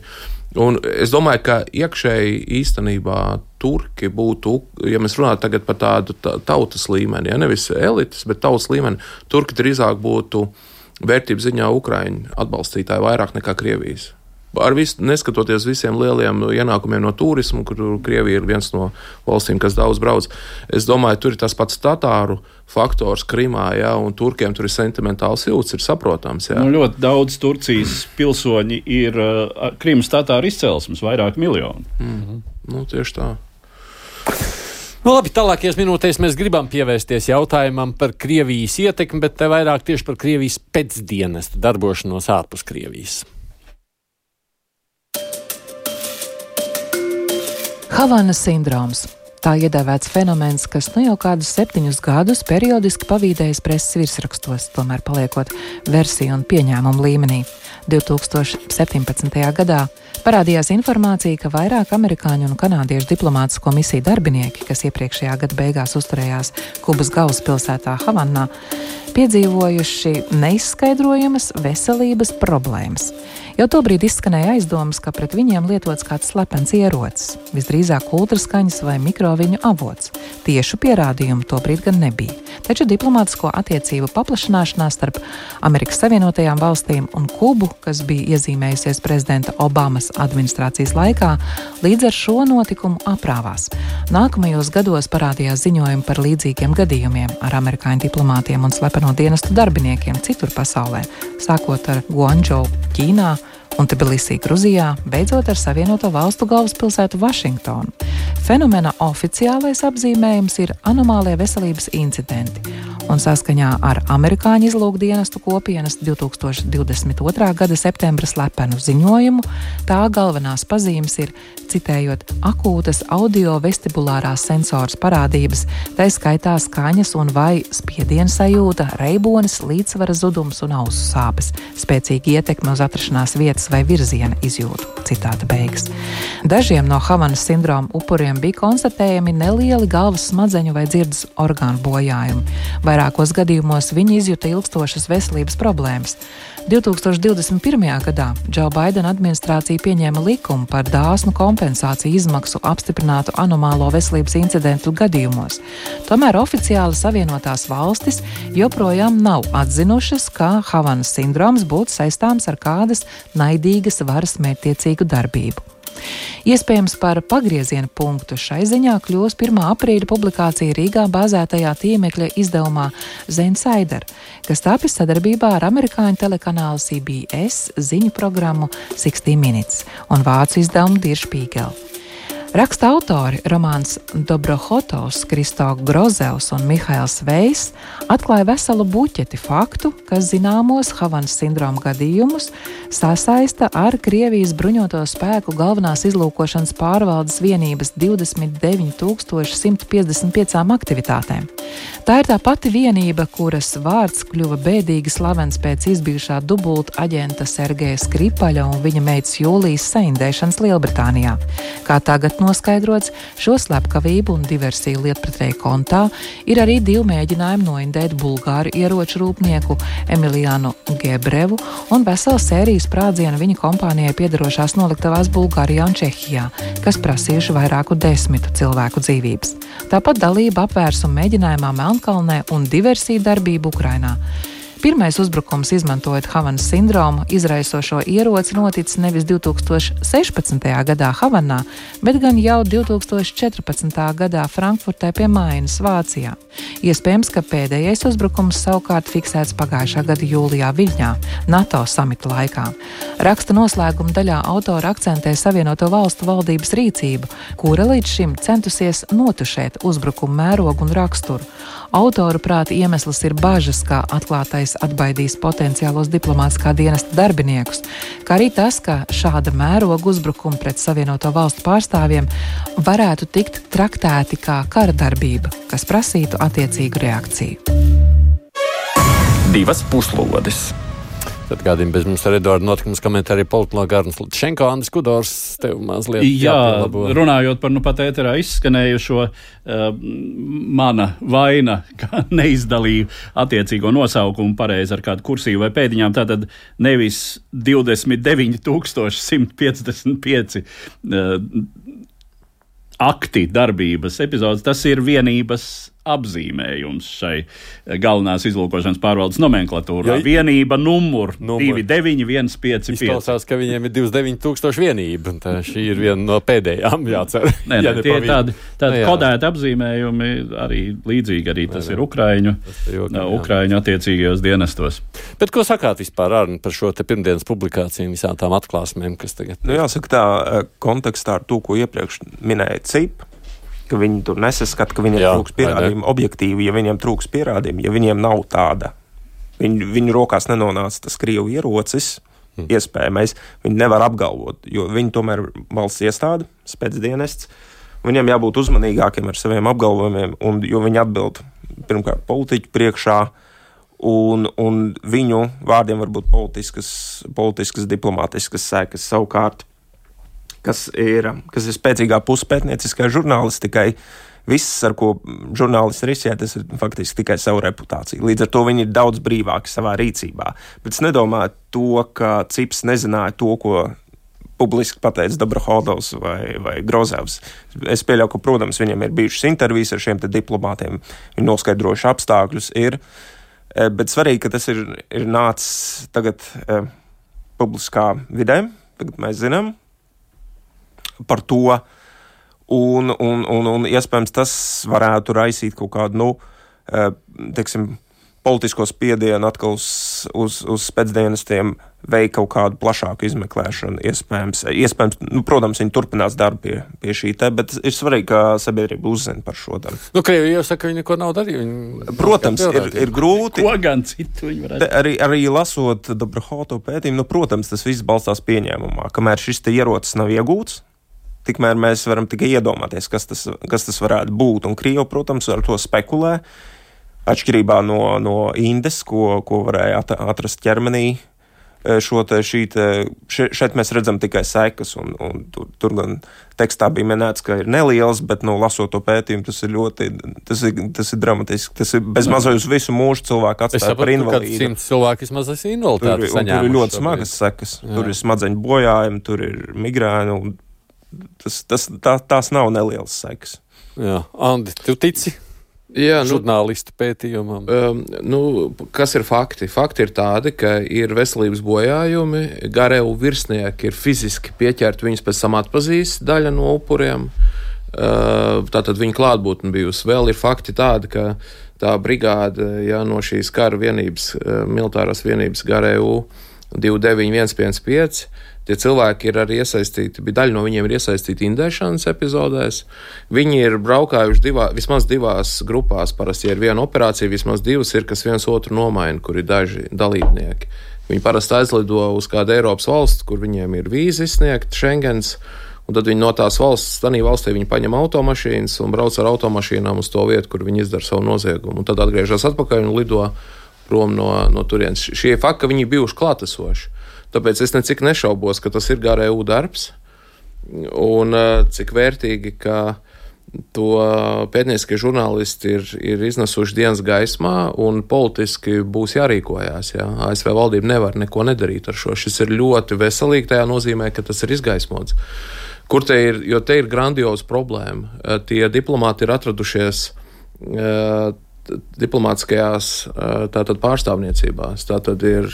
un es domāju, ka iekšēji īstenībā Turki būtu, ja mēs runājam tagad par tādu tautas līmeni, ja nevis elites, bet tautas līmeni, Turki drīzāk būtu vērtības ziņā Ukraiņu atbalstītāji vairāk nekā Krievijas. Ar visu, neskatoties visiem lieliem ienākumiem no turismu, kur Krievija ir viens no valstīm, kas daudz brauc, es domāju, tur ir tas pats tatāru faktors Krimā, jā, un turkiem tur ir sentimentāls jūts, ir saprotams. Jā. Nu, ļoti daudz Turcijas pilsoņi ir uh, Krimas tatāru izcelsmes, vairāk miljoni. Mm-hmm. Nu, tieši tā. Nu, labi, tālākajās minūtēs mēs gribam pievērsties jautājumam par Krievijas ietekmi, bet te vairāk tieši par Krievijas pēcdienestu darbošanos ārpus Krievijas. Havanas sindroms. Tā iedēvēts fenomens, kas nu jau kādus septiņus gadus periodiski pavīdējas preses virsrakstos, tomēr paliekot versiju un pieņēmumu līmenī. divi tūkstoši septiņpadsmitajā gadā parādījās informācija, ka vairāk amerikāņu un kanādiešu diplomātisko misiju darbinieki, kas iepriekšējā gada beigās uzturējās Kubas galvaspilsētā Havanā, piedzīvojuši neizskaidrojamas veselības problēmas. Jau tobrīd izskanēja aizdomas, ka pret viņiem lietots kāds slepens ierocis, visdrīzāk ultraskaņas vai mikroviņu avots. Tiešu pierādījumu tobrīd gan nebija. Taču diplomātisko attiecību paplašanāšanās starp Amerikas Savienotajām valstīm un Kubu, kas bija iezīmējusies prezidenta Obamas administrācijas laikā, līdz ar šo notikumu aprāvās. Nākamajos gados parādījās ziņojumi par līdzīgiem gadījumiem ar amerikāņu diplomātiem un slepeno dienestu darbiniekiem citur pasaulē, sākot ar Guangzhou, Ķīnā, un Tbilisī, Gruzijā, beidzot ar Savienoto valstu galvaspilsētu Vašingtonu. Fenomena oficiālais apzīmējums ir anomālie veselības incidenti, un saskaņā ar amerikāņu izlūkdienestu kopienas divi tūkstoši divdesmit otrā gada septembra slepenu ziņojumu, tā galvenās pazīmes ir, citējot, akūtas audio-vestibulārās sensoras parādības, tai skaitā skaņas un vai spiediena sajūta, reibonis, līdzsvara zudums un ausu sāpes, spēcīgi ietekme uz atrašanās vietas vai virziena izjūtu. Citāta beigas. Dažiem no Havanas sindroma upuriem bija konstatējami nelieli galvas smadzeņu vai dzirdes orgānu bojājumi. Vairākos gadījumos viņi izjuta ilgstošas veselības problēmas. divi tūkstoši divdesmit pirmajā gadā Džo Baidena administrācija pieņēma likumu par dāsnu kompensāciju izmaksu apstiprinātu anomālo veselības incidentu gadījumos. Tomēr oficiāli Savienotās valstis joprojām nav atzinušas, ka Havanas sindroms būtu saistāms ar kādas naidīgas varas mērķtiecīgu darbību. Iespējams, par pagrieziena punktu šai ziņā kļūs pirmā aprīļa publikācija Rīgā bāzētajā tīmekļa izdevumā Zensider, kas tapis sadarbībā ar amerikāņu telekanālu C B S ziņu programmu sixty minutes un vācu izdevumu Der Spiegel. Raksta autori Romāns Dobrohotovs, Kristo Grozevs un Mihails Vejs atklāja veselu buķeti faktu, kas zināmos Havanas sindroma gadījumus sasaista ar Krievijas bruņoto spēku galvenās izlūkošanas pārvaldes vienības divdesmit deviņi tūkstoši simt piecdesmit piecām aktivitātēm. Tā ir tā pati vienība, kuras vārds kļuva bēdīgi slavens pēc izbijušā dubulta aģenta Sergeja Skripaļa un viņa meitas Jūlijas saindēšanas Lielbritānijā. Kā tagad noskaidrots, šo slepkavību un diversiju lietpratēju kontā ir arī divi mēģinājumi noindēt bulgāru ieroču rūpnieku Emiliānu Gebrevu un veselu sēriju sprādzienu viņa kompānijai piederošās noliktavās Bulgārijā un Čehijā, kas prasījuši vairāku desmitu cilvēku dzīvības. Tāpat dalība apvērsuma mēģinājumā Melnkalnē un diversiju darbību Ukrainā. Pirmais uzbrukums, izmantojot Havanas sindromu, izraisošo ieroci noticis nevis divi tūkstoši sešpadsmitajā gadā Havanā, bet gan jau divi tūkstoši četrpadsmitajā gadā Frankfurtē pie Mainas, Vācijā. Iespējams, ka pēdējais uzbrukums savukārt fiksēts pagājušā gada jūlijā Viļņā, NATO samita laikā. Raksta noslēguma daļā autora akcentē Savienoto Valstu valdības rīcību, kura līdz šim centusies notušēt uzbrukumu mērogu un raksturu. Autoru prāta iemesls ir bažas, kā atklātais atbaidīs potenciālos diplomātiskā dienesta darbiniekus, kā arī tas, ka šāda mēroga uzbrukuma pret Savienoto Valstu pārstāvjiem varētu tikt traktēti kā kara darbība, kas prasītu attiecīgu reakciju. Divas puslodes. Tad kādiem bez mums ar Eduardu notikumus komentē arī politologi Arnis Lutšenko, Andris Kudors, tev mazliet Jā, jāpielabo. Runājot par nu pat ēterā izskanējušo, uh, mana vaina, ka neizdalīju attiecīgo nosaukumu pareizi ar kādu kursīvu vai pēdiņām, tātad nevis divdesmit deviņi tūkstoši simt piecdesmit pieci uh, akti darbības epizodes, tas ir vienības apzīmējums šai galvenās izlūkošanas pārvaldes nomenklatūrā. Ja, vienība numur, numur divi deviņi viens pieci pieci. Izklausās, ka viņiem ir divdesmit deviņi tūkstoši vienība, un tā šī ir viena no pēdējām, jācer. Nē, ja nē, tie ir tādi, tādi no, kodēti apzīmējumi, arī līdzīgi arī tas nē, ir Ukraiņu, tas ir jūtā, Ukraiņu attiecīgajos dienestos. Bet ko sakāt vispār, Arni, par šo te pirmdienas publikāciju visām tām atklāsmēm, kas tagad? Nu, jāsaka tā, kontekstā ar to, ko iepriekš minēja C I P, ka viņi tur nesaskata, ka viņiem Jā, trūks pierādījumi objektīvi, ja viņiem trūks pierādījumi, ja viņiem nav tāda. Viņu, viņu rokās nenonāca tas Krievu ierocis, hmm. iespējamais, viņi nevar apgalvot, jo viņi tomēr valsts iestāde, spēcdienests, viņiem jābūt uzmanīgākiem ar saviem apgalvojumiem, un, jo viņi atbild pirmkārt politiķu priekšā, un, un viņu vārdiem var būt politiskas, politiskas diplomātiskas sekas savukārt. Kas ir, kas ir spēcīgā puse pētnieciskai žurnālistikai, viss, ar ko žurnālisti risē, tas ir faktiski tikai savu reputāciju. Līdz ar to viņi ir daudz brīvāki savā rīcībā. Bet es nedomāju to, ka Cips nezināja to, ko publiski pateica Dobrohodovs vai, vai Grozevs. Es pieļauju, ka, protams, viņiem ir bijušas intervijas ar šiem te diplomātiem, viņi noskaidrojuši apstākļus ir, bet svarīgi, ka tas ir, ir nācis tagad eh, publiskā vidē, tagad mēs zinām par to, un, un, un, un iespējams tas varētu raisīt kaut kādu, nu, teiksim, politisko spiedienu atkal uz, uz, uz spēcdienestiem veikt kaut kādu plašāku izmeklēšanu, iespējams. Iespējams, nu, protams, viņi turpinās darbu pie, pie šī te, bet ir svarīgi, ka sabiedrība uzzina par šo darbu. Nu, Krievija jau saka, ka viņi neko nav darījuši. Protams, ir, ir grūti. Ko gan citu viņi varētu? Arī, arī lasot Dobrohoto pētījumu, nu, protams, tas viss balstās pieņēmumā, kamēr šis te ierocis nav iegūts, tikmēr mēs varam tikai iedomāties, kas tas, kas tas varētu būt. Un Krievi, protams, ar to spekulē, atšķirībā no, no Indes, ko, ko varēja atrast ķermenī. Šo te, šī te, šeit mēs redzam tikai sekas, un, un tur, tur gan tekstā bija minēts, ka ir neliels, bet, nu, lasot to pētījumu, tas ir ļoti, tas ir, tas ir dramatiski. Tas ir bez mazai uz visu mūžu cilvēku atstāja par invalīdu. Es saprotu, ka simts cilvēki vismaz esi invaliditāti saņēmuši. Tur ir ļoti smagas sekas. Jā. Tur ir smadzeņu bojājumi, tur ir migrēni, un Tas, tas, tā, tās nav nelielas sekas. Jā, Andi, tu tici Jā, nu, žurnālistu pētījumam? Um, nu, kas ir fakti? Fakti ir tādi, ka ir veselības bojājumi, Garevu virsnieki ir fiziski pieķerti, viņus pēc tam atpazīst daļa no upuriem. Uh, tātad viņa klātbūtne bijusi. Vēl ir fakti tādi, ka tā brigāde ja, no šīs kara vienības, militārās vienības Garevu divi deviņi viens pieci pieci, tie cilvēki ir arī iesaistīti, bija daļa no viņiem ir iesaistīti indēšanas epizodēs. Viņi ir braukājuši divā, vismaz divās grupās, parasti ir viena operācija, vismaz divas ir, kas viens otru nomaina, kur ir daži dalībnieki. Viņi parasti aizlido uz kādu Eiropas valstu, kur viņiem ir vīza izsniegta, Schengens, Un tad viņi no tās valsts, tanī valstī viņi paņem automašīnas un brauc ar automašīnām uz to vietu, kur viņi izdara savu noziegumu. Un tad atgriežas atpakaļ un lido prom no, no turienes. Šie fakti, ka viņi bijuši klātesoši. Tāpēc es necik nešaubos, ka tas ir G R U darbs un cik vērtīgi, ka to pētnieciskie žurnālisti ir, ir iznesuši dienas gaismā un politiski būs jārīkojās. Jā. A S V valdība nevar neko nedarīt ar šo. Šis ir ļoti veselīgi tajā nozīmē, ka tas ir izgaismots. Kur te ir, jo te ir grandioza problēma. Tie diplomāti ir atradušies uh, diplomātiskajās uh, tātad pārstāvniecībās. Tātad ir,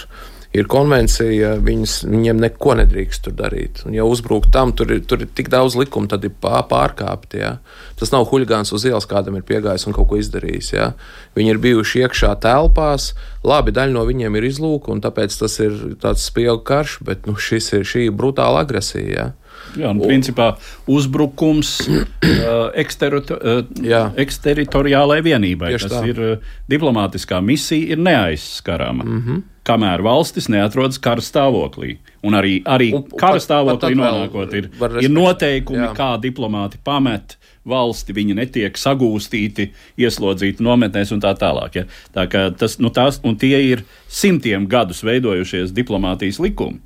ir konvencija, viņas, viņiem neko nedrīkst tur darīt. Un ja uzbruk tam, tur ir, tur ir tik daudz likumu, tad ir pārkāpti. Ja? Tas nav huļgāns uz ielas, kādam ir piegājis un kaut ko izdarījis. Ja? Viņi ir bijuši iekšā telpās, labi, daļa no viņiem ir izlūka, un tāpēc tas ir tāds spiegu karš, bet nu, šis ir šī brutāla agresija. Ja? Jā, un principā uzbrukums uh, eksterito, uh, eksteritoriālai vienībai. Tieši Tas tā. ir uh, diplomātiskā misija, ir neaizskarama. Mm-hmm. Kamēr valstis neatrodas kara stāvoklī. Un arī, arī un, kara pat, stāvoklī pat nonākot ir, ir noteikumi, jā. Kā diplomāti pamet valsti, viņi netiek sagūstīti, ieslodzīti nometnēs un tā tālāk. Ja? Tā kā tas, nu tās, un tie ir simtiem gadus veidojušies diplomātijas likumi.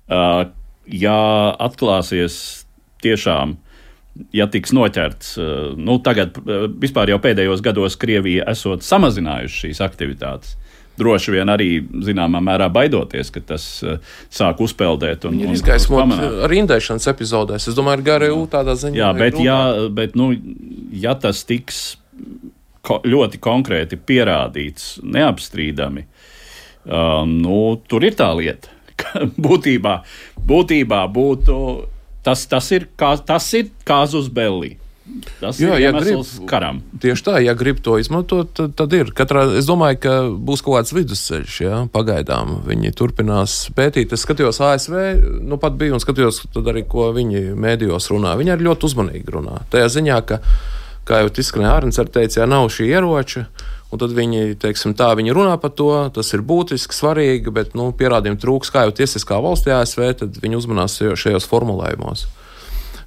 Uh, Ja atklāsies tiešām, ja tiks noķerts, nu tagad vispār jau pēdējos gados Krievija esot samazinājuši šīs aktivitātes. Droši vien arī zināmā mērā baidoties, ka tas sāk uzpeldēt. Un, ir izgaismot ar indēšanas epizodēs. Es domāju, ar G R U tādā ziņā. Jā, bet, jā, bet nu, ja tas tiks ko, ļoti konkrēti pierādīts, neapstrīdami, uh, nu, tur ir tā lieta. Būtībā, būtībā būtu, tas, tas ir, kā, tas ir kāzus belli. Tas Jā, ir iemesls ja karam. Tieši tā, ja grib to izmantot, tad, tad ir. Katrā, es domāju, ka būs kaut kāds vidusceļš, ja, pagaidām. Viņi turpinās pētīt. Es skatījos A S V, nu pat biju un skatījos tad arī, ko viņi mēdījos runā. Viņi arī ļoti uzmanīgi runā. Tajā ziņā, ka, kā jau izskanēja Ārns arī teica, ja nav šī ieroča, un tad viņi, teiksim tā, viņi runā par to, tas ir būtiski, svarīgi, bet, nu, pierādījumi trūks, kā jau tiesiskā valstī A S V, tad viņi uzmanās šajos formulējumos.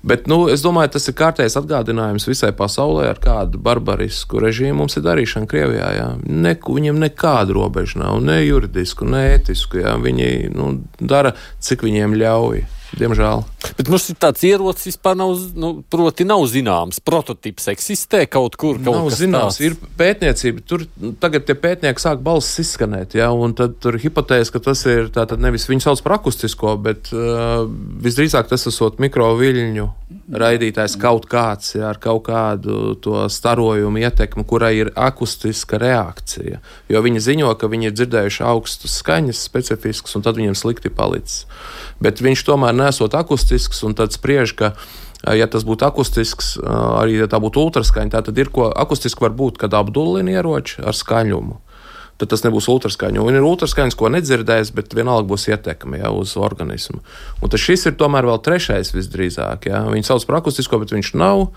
Bet, nu, es domāju, tas ir kārtējs atgādinājums visai pasaulē, ar kādu barbarisku režīmu mums ir darīšana Krievijā, jā. Ne, viņiem nekāda robeža nav, ne juridisku, ne ētisku, jā. Viņi, nu, dara, cik viņiem ļauj. Diemžēl. Bet mums ir tāds ierocis vispār nav, nu, proti nav zināms. Prototips eksistē kaut kur, kaut nav kas zināms. Tāds. Ir pētniecība. Tur tagad tie pētnieki sāk balsis izskanēt, ja, un tad tur hipotēze, ka tas ir tātad nevis viņu sauc par akustisko, bet uh, visdrīzāk tas esot mikroviļņu raidītājs kaut kāds, ja, ar kaut kādu to starojumu ietekmi, kurai ir akustiska reakcija. Jo viņi ziņo, ka viņi ir dzirdējuši augstus skaņas specifiskas, un tad viņiem slikti palicis. Bet viņš tomēr nesot akustisks, un tad spriež, ka, ja tas būtu akustisks, arī ja tā būtu ultraskaņa, tā tad ir, ko akustiski var būt, kad apdullina ieroči ar skaņumu. Tad tas nebūs ultraskaņa. Un ir ultraskaņas, ko nedzirdēs, bet vienalga būs ietekme, ja, uz organismu. Un tad šis ir tomēr vēl trešais visdrīzāk. Ja. Viņi sauc par akustisko, bet viņš nav,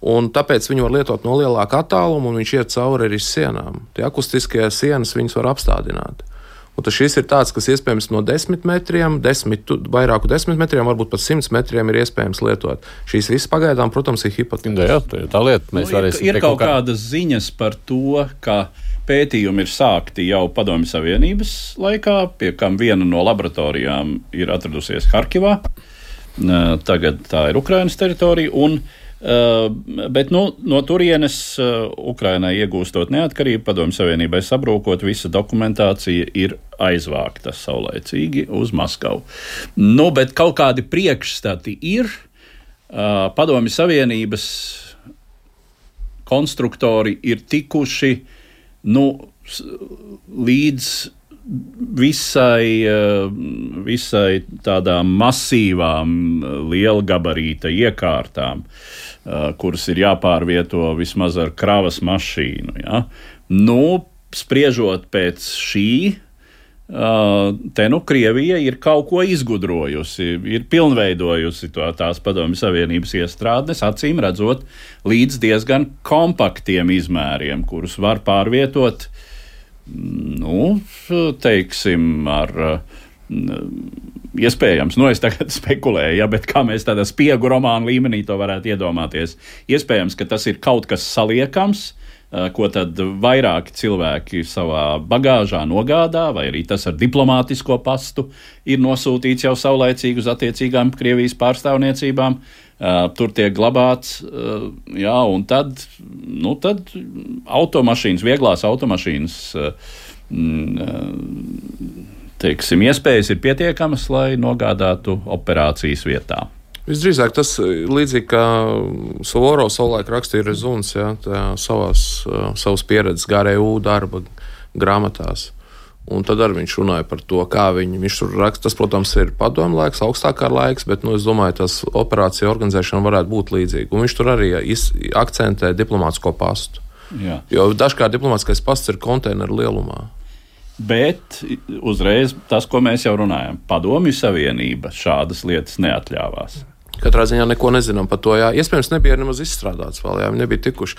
un tāpēc viņu var lietot no lielāka attāluma, un viņš iet cauri arī sienām. Tie akustiskie sienas viņus var apstādināt. Un tas šis ir tāds, kas iespējams no desmit metriem, desmit, vairāku desmit metriem, varbūt pat simts metriem ir iespējams lietot. Šīs visas pagaidām, protams, ir hipotēzes. Jā, tā, tā lieta. Mēs nu, ir, ir kaut kā... kādas ziņas par to, ka pētījumi ir sākti jau Padomju Savienības laikā, pie kam viena no laboratorijām ir atradusies Harkivā. Tagad tā ir Ukrainas teritorija. Un Uh, bet nu, no turienes uh, Ukrainai iegūstot neatkarību, Padomju Savienībai sabrūkot, visa dokumentācija ir aizvākta saulaicīgi uz Maskavu. Nu, bet kaut kādi priekšstati ir. Uh, Padomju Savienības konstruktori ir tikuši nu, līdz visai, visai tādām masīvām lielgabarīta iekārtām, kuras ir jāpārvieto vismaz ar kravas mašīnu. Ja? Nu, spriežot pēc šī, te nu Krievija ir kaut ko izgudrojusi, ir pilnveidojusi to tās Padomju Savienības iestrādnes, acīm redzot, līdz diezgan kompaktiem izmēriem, kurus var pārvietot, nu, teiksim, ar Iespējams, nu es tagad spekulēju, ja, bet kā mēs tādā spiegu romānu līmenī to varētu iedomāties. Iespējams, ka tas ir kaut kas saliekams, ko tad vairāki cilvēki savā bagāžā nogādā, vai arī tas ar diplomātisko pastu ir nosūtīts jau saulaicīgi uz attiecīgām Krievijas pārstāvniecībām. Tur tiek glabāts, jā, un tad, nu, tad automašīnas, vieglās automašīnas, teiksim, iespējas ir pietiekamas, lai nogādātu operācijas vietā. Visdrīzāk tas līdzīgi kā Suvorovs savulaik rakstīja Rezuns, ja, savās, savas pieredzes G R E U darba grāmatās. Un tad arī viņš runāja par to, kā viņi, viņš tur raksta. Tas, protams, ir padomu laiks, augstākā laiks, bet, nu, es domāju, tas operācija organizēšana varētu būt līdzīga. Un viņš tur arī akcentē diplomātsko pastu. Jā. Jo dažkārt diplomātskais pasts ir konteineru lielumā. Bet uzreiz tas, ko mēs jau runājam, Padomju Savienība šādas lietas neatļāvās. Katrā ziņā neko nezinām par to. Jā. Iespējams, nebija nemaz izstrādāts vēl, jā, viņi nebija tikuši.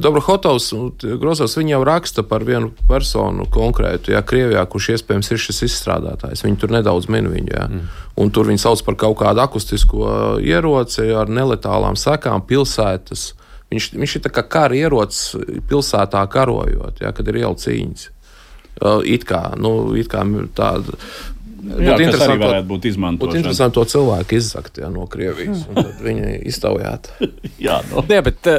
Dobrohotovs un Grozovs, viņi jau raksta par vienu personu konkrētu, jā, Krievijā, kurš iespējams ir šis izstrādātājs. Viņi tur nedaudz min viņu, jā. Mm. Un tur viņi sauc par kaut kādu akustisko ieroci ar neletālām sekām pilsētas. Viņš, viņš ir tā kā kara ierocis pilsētā karojot, jā, kad ir ielu cīņas. It kā, nu, it kā tāda. Jā, kas arī varētu būt izmantošana. Būtu interesanti to cilvēku izzakt, jā, no Krievijas, un tad viņi iztaujāt. jā, no. Jā, bet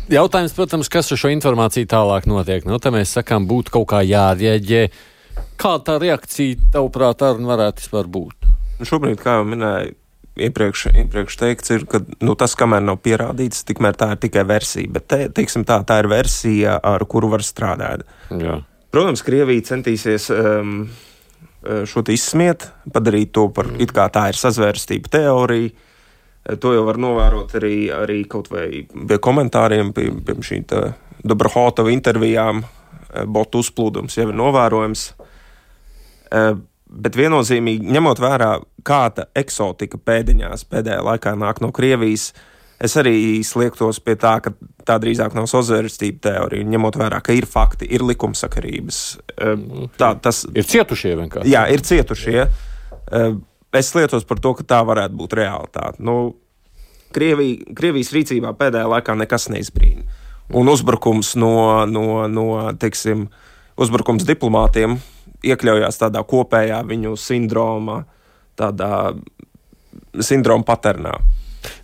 jautājums, protams, kas ar šo informāciju tālāk notiek? Nu, tā mēs sakām, būtu kaut kā jārieģē. Kā tā reakcija, tavuprāt, arī varētu vispār būt? Šobrīd, kā jau minēju, iepriekš, iepriekš teikts, ir, ka nu, tas, kamēr nav pierādīts, tikmēr tā ir tikai versija. Bet, te, teiksim tā, tā ir versija, ar kuru var strādāt. Jā. Protams, Krievija centīsies um, šo te izsmiet, padarīt to par it kā tā ir sazvērstība teorija. To jau var novērot arī, arī kaut vai pie komentāriem, pie, pie šī Dobrohotova intervijām. Botu uzplūdums jau ir novērojams. Bet viennozīmīgi, ņemot vērā, kāda eksotika pēdiņās pēdējā laikā nāk no Krievijas, es arī sliektos pie tā, ka tā drīzāk nav sazvērstība teorija, ņemot vērā, ka ir fakti, ir likumsakarības. Tā, tas, ir cietušie vienkārši. Jā, ir cietušie. Es slietos par to, ka tā varētu būt realitāte. Nu, Krievija, Krievijas rīcībā pēdējā laikā nekas neizbrīna. Un uzbrukums no, no, no teiksim, uzbrukums diplomātiem iekļaujās tādā kopējā viņu sindroma, tādā sindroma paternā.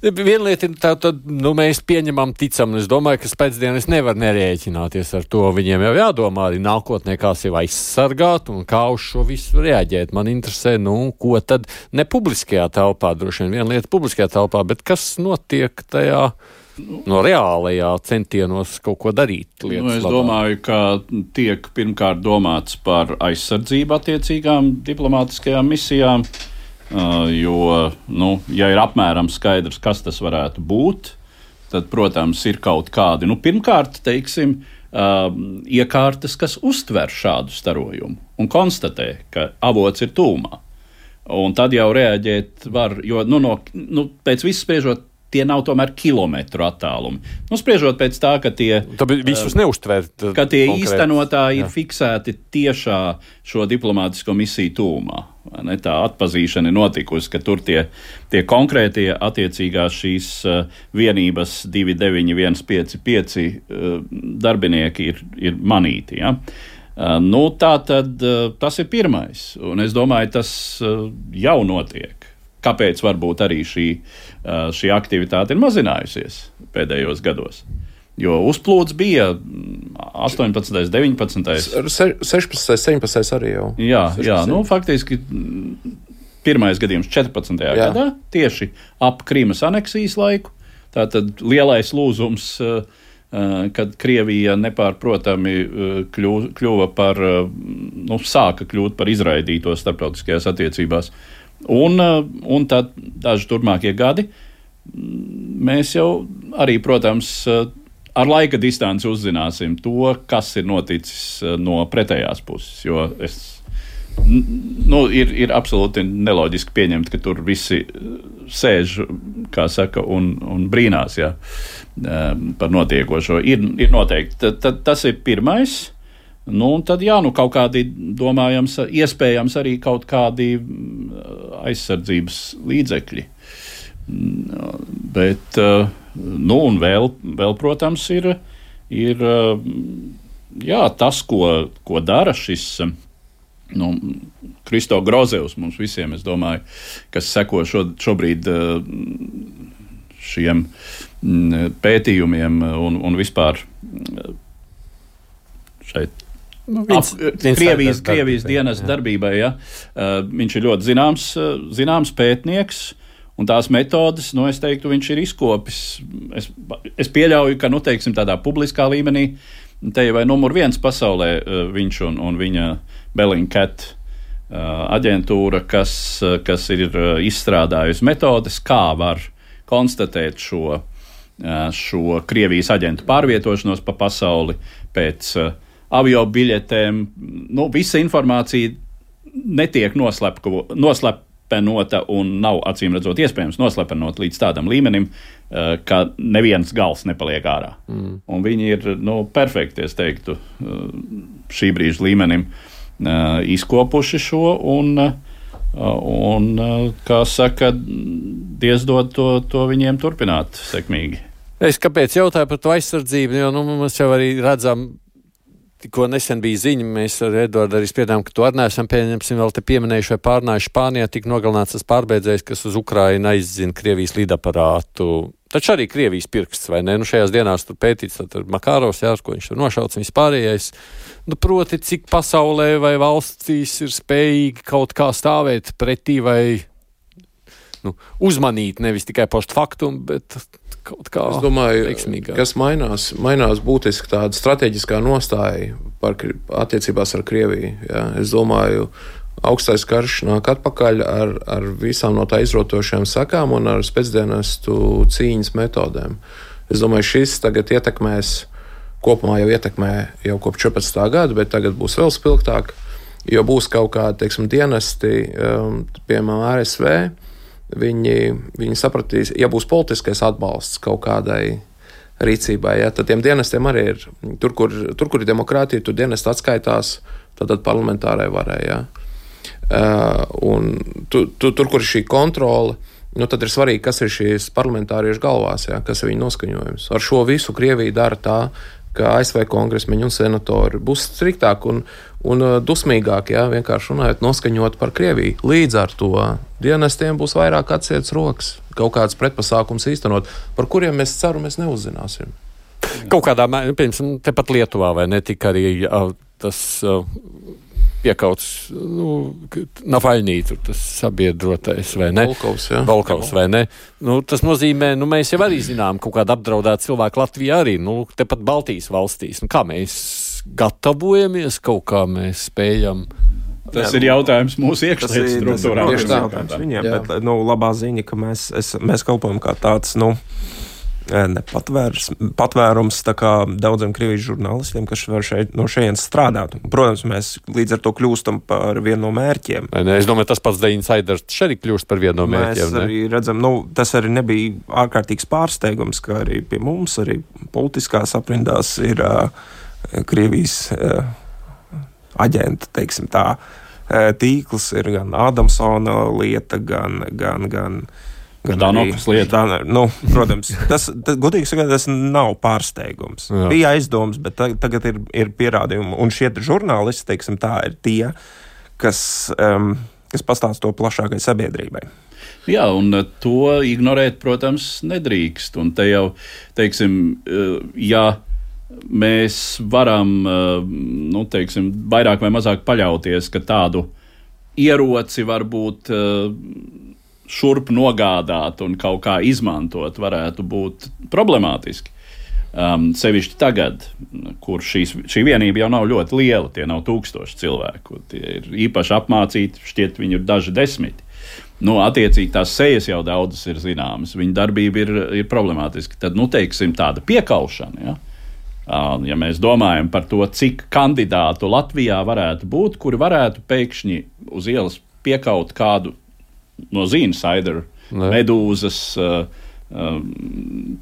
Viena lieta ir tā, tad nu, mēs pieņemam, ticam, un es domāju, ka pēcdienas nevar nerēķināties ar to. Viņiem jau jādomā arī nākotnē, kā sevi aizsargāt un kā uz šo visu reaģēt. Man interesē, nu, ko tad ne publiskajā telpā, droši vien viena lieta publiskajā telpā, bet kas notiek tajā no reālajā centienos kaut ko darīt lietas nu, es labā. Domāju, ka tiek pirmkārt domāts par aizsardzību attiecīgām diplomātiskajām misijām. Uh, jo, nu, ja ir apmēram skaidrs, kas tas varētu būt, tad, protams, ir kaut kādi, nu, pirmkārt, teiksim, uh, iekārtas, kas uztver šādu starojumu un konstatē, ka avots ir tūmā. Un tad jau reaģēt var, jo, nu, no, nu pēc visu spriežot, tie nav tomēr kilometru attālumi. Nu, spriežot pēc tā, ka tie, Tāpēc visus neuztver, ka tie konkrēt. īstenotāji Jā. ir fiksēti tiešā šo diplomātisko misiju tūmā. Ne, tā atpazīšana ir notikusi, ka tur tie, tie konkrētie attiecīgās šīs uh, vienības divi deviņi viens pieci pieci uh, darbinieki ir, ir manīti. Ja? Uh, nu, tā tad uh, tas ir pirmais, un es domāju, tas uh, jau notiek. Kāpēc varbūt arī šī, uh, šī aktivitāte ir mazinājusies pēdējos gados? Jo uzplūds bija astoņpadsmitais, deviņpadsmitais sešpadsmitais, septiņpadsmitais arī jau. Jā, jā, nu faktiski pirmais gadījums četrpadsmitajā Jā. gadā, tieši ap Krimas aneksijas laiku. Tātad lielais lūzums, kad Krievija nepārprotami kļuva par, nu, sāka kļūt par izraidīto starptautiskajās attiecībās. Un, un tad daži turpmākie gadi mēs jau arī, protams, ar laika distanci uzzināsim to, kas ir noticis no pretējās puses, jo es, nu, ir, ir absolūti neloģiski pieņemt, ka tur visi sēž, kā saka, un, un brīnās, jā, par notiekošo. Ir, ir noteikti. Tad, tad, tas ir pirmais. Nu, un tad, jā, nu, kaut kādi, domājams, iespējams arī kaut kādi aizsardzības līdzekļi. Bet, nu, un vēl, vēl protams, ir, ir jā, tas, ko, ko dara šis nu, Kristo Grozevs mums visiem, es domāju, kas seko šo, šobrīd šiem pētījumiem un, un vispār šeit nu, viens, ap, viens Krievijas, darbībai, Krievijas dienas jā. darbībai. Ja? Uh, viņš ir ļoti zināms, uh, zināms pētnieks, un tās metodes, nu, es teiktu, viņš ir izkopis. Es, es pieļauju, ka, nu, teiksim, tādā publiskā līmenī, te jau vai numur viens pasaulē uh, viņš un, un viņa Bellingcat uh, aģentūra, kas, uh, kas ir uh, izstrādājusi metodes, kā var konstatēt šo, uh, šo Krievijas aģentu pārvietošanos pa pasauli pēc uh, avio biļetēm. Nu, visa informācija netiek noslepko, noslepenota un nav acīm redzot iespējams noslepenot līdz tādam līmenim, uh, ka neviens gals nepaliek ārā. Mm. Un viņi ir nu, perfekti, es teiktu, uh, šī brīža līmenim uh, izkopuši šo un, uh, un uh, kā saka, diezdod to, to viņiem turpināt sekmīgi. Es kāpēc jautāju par to aizsardzību, jo nu, mēs jau arī redzam, tikko nesen bija ziņa, mēs ar Eduardu arī spriedām, ka to arī neesam pieņemsim vēl te pieminējuši vai pārnājuši Spānijā, tik nogalināts tas pārbēdzējs, kas uz Ukrainu aizzina Krievijas lidaparātu. Taču arī Krievijas pirksts, vai ne? Nu, šajās dienās tur pētīts, tad Makārovs, jā, ko viņš tur nošauts, un vispārējais. Nu, proti, cik pasaulē vai valstīs ir spējīgi kaut kā stāvēt pretī vai nu, uzmanīt, nevis tikai post faktum, bet kaut kā es domāju, veiksmīgāk. Kas mainās, mainās būtiski tāda strateģiskā nostāja par attiecībās ar Krieviju. Jā. Es domāju, augstais karš nāk atpakaļ ar, ar visām no tā izrotošajām sakām un ar spēcdienestu cīņas metodēm. Es domāju, šis tagad ietekmēs, kopumā jau ietekmē jau kopš četrpadsmitā gada, bet tagad būs vēl spilgtāk, jo būs kaut kādi, teiksim, dienesti, um, piemēram, A S V, Viņi, viņi sapratīs, ja būs politiskais atbalsts kaut kādai rīcībai, ja, tad tiem dienestiem arī ir, tur, kur, tur, kur ir demokrātija, tur dienesti atskaitās, tad, tad parlamentārai varai, ja. Uh, un tu, tu, tur, kur ir šī kontrole, nu, tad ir svarīgi, kas ir šīs parlamentāriešu galvās, ja, kas ir viņa noskaņojums. Ar šo visu Krievija dara tā, ka A S V kongresmeņi un senatori būs striktāk un, un dusmīgāk, jā, vienkārši runājot, noskaņot par Krieviju. Līdz ar to dienestiem būs vairāk atsietas rokas, kaut kāds pretpasākums īstenot, par kuriem mēs ceru, mēs neuzzināsim. Kaut kādā, piemēram, tepat Lietuvā, vai ne tika arī uh, tas uh, piekauts, nu, Nafaļnī, tur tas sabiedrotais, vai ne? Volkovs, jā. Volkovs, vai ne? Nu, tas nozīmē, nu, mēs jau arī zinām, kaut kāda apdraudēta cilvēka Latvijā arī, nu, tepat Baltijas valstīs. Nu, kā mēs gatavojamies, kaut kā mēs spējam. Tas jā, ir jautājums mūsu iekšlietas struktūrām. Tas ir jautājums viņiem, jā. Bet, nu, labā ziņa, ka mēs, es, mēs kalpojam kā tāds, nu, nepatvērs, patvērums tā kā daudziem Krievijas žurnālistiem, kas var šeit, no šejienes strādāt. Protams, mēs līdz ar to kļūstam par vienu no mērķiem. Ne, es domāju, tas pats The Insiders arī kļūst par vienu no mērķiem. Mēs arī redzam, nu, tas arī nebija ārkārtīgs pārsteigums, ka arī pie mums, arī politiskās aprindās ir uh, Krievijas uh, aģenta, teiksim tā, uh, tīkls, ir gan Adamsona lieta, gan, gan, gan Danokas lieta. Dan, nu, protams, tas, tas, godīgi sakot, tas nav pārsteigums. Jā. Bija aizdoms, bet tagad, tagad ir, ir pierādījumi. Un šie žurnālisti, teiksim, tā ir tie, kas, um, kas pastāst to plašākai sabiedrībai. Jā, un to ignorēt, protams, nedrīkst. Un te jau, teiksim, ja mēs varam, nu, teiksim, vairāk vai mazāk paļauties, ka tādu ieroci var būt šurp nogādāt un kaut kā izmantot, varētu būt problemātiski. Um, sevišķi tagad, kur šīs, šī vienība jau nav ļoti liela, tie nav tūkstoši cilvēku, tie ir īpaši apmācīti, šķiet viņi ir daži desmiti. Nu, attiecīgi tās sejas jau daudzas ir zināmas, viņa darbība ir, ir problemātiska. Tad, nu, teiksim, tāda piekaušana, ja? Uh, ja mēs domājam par to, cik kandidātu Latvijā varētu būt, kuri varētu pēkšņi uz ielas piekaut kādu no Zīna Saidera, Medūzas, uh,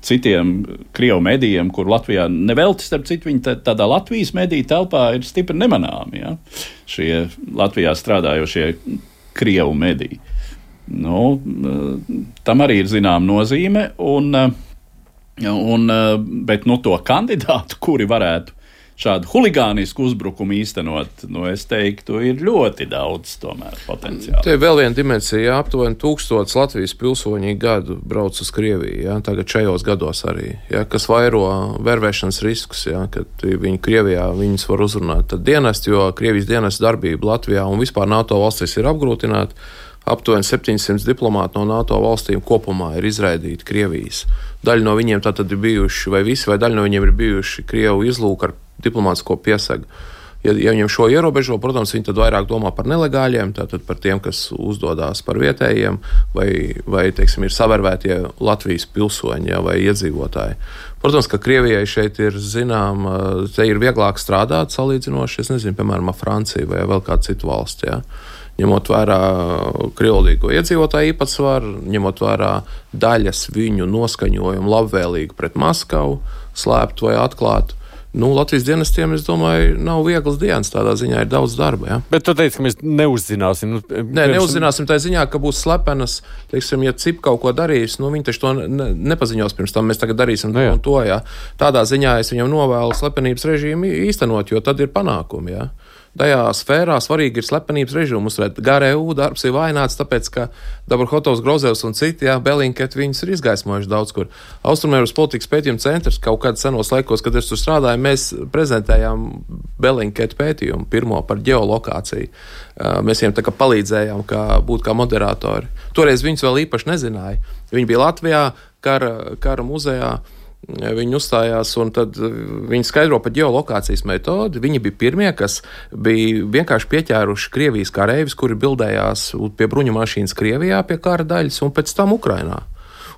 citiem Krievu medijiem, kur Latvijā nevelti, starp citu, viņi tādā Latvijas mediju telpā ir stipri nemanāmi, ja? Šie Latvijā strādājošie Krievu mediji. Nu, tam arī ir zinām nozīme, un, un, bet nu, to kandidātu, kuri varētu šādu huligānisku uzbrukumu īstenot, nu, es teiktu, ir ļoti daudz tomēr potenciāli. Te ir vēl viena dimensija, jā, aptuveni tūkstots Latvijas pilsoņi gadu brauc uz Krieviju, jā, tagad šajos gados arī, jā, kas vairo vervēšanas riskus, jā, kad viņi Krievijā viņus var uzrunāt. Tad dienesti, jo Krievijas dienestu darbība Latvijā un vispār NATO valstīs ir apgrūtināta. Aptuveni septiņsimt diplomāti no NATO valstīm kopumā ir izraidīti Krievijas. Daļa no viņiem tātad ir bijuši, vai visi, vai daļa no viņiem ir bijuši Krievu izlūku ar diplomātisko piesagu. Ja, ja viņiem šo ierobežo, protams, viņi tad vairāk domā par nelegāļiem, tātad par tiem, kas uzdodās par vietējiem, vai, vai teiksim, ir savervētie Latvijas pilsoņi, ja, vai iedzīvotāji. Protams, ka Krievijai šeit ir, zinām, te ir vieglāk strādāt salīdzinoši, es nezinu, piemēram, ar Franciju vai vēl kādu citu valsti, ja. Ņemot vērā krievlīgo iedzīvotāju īpatsvaru, ņemot vērā daļas viņu noskaņojumu labvēlīgu pret Maskavu, slēptu vai atklātu. Nu, Latvijas dienestiem, es domāju, nav viegls dienas, tādā ziņā ir daudz darba. Ja? Bet tu teici, ka mēs neuzzināsim. Nu, Nē, neuzzināsim tā ziņā, ka būs slepenas, teiksim, ja C I P kaut ko darīs, nu, viņi taču to ne, nepaziņos pirms tam, mēs tagad darīsim to un to, ja. Tādā ziņā es viņam novēlu slepenības režīmu īstenot, jo tad ir panākumi, ja. Tajā sfērā svarīgi ir slepenības režīmu uzturēt. G R U darbs ir vaināts, tāpēc, ka Dabrahotovs, Grozevs un citi, jā, Belinketi, viņus ir izgaismojuši daudz kur. Austrumēropas politikas pētījuma centrs kaut kāds senos laikos, kad es tur strādāju, mēs prezentējām Belinketi pētījumu pirmo par ģeolokāciju. Mēs viņiem tā kā palīdzējām, kā būt kā moderatori. Toreiz viņus vēl īpaši nezināja. Viņi bija Latvijā, kara, kara muzejā. Viņi uzstājās, un tad viņi skaidro par ģeolokācijas metodi. Viņi bija pirmie, kas bija vienkārši pieķēruši Krievijas kareivis, kuri bildējās pie bruņu mašīnas Krievijā pie kara daļas un pēc tam Ukrainā.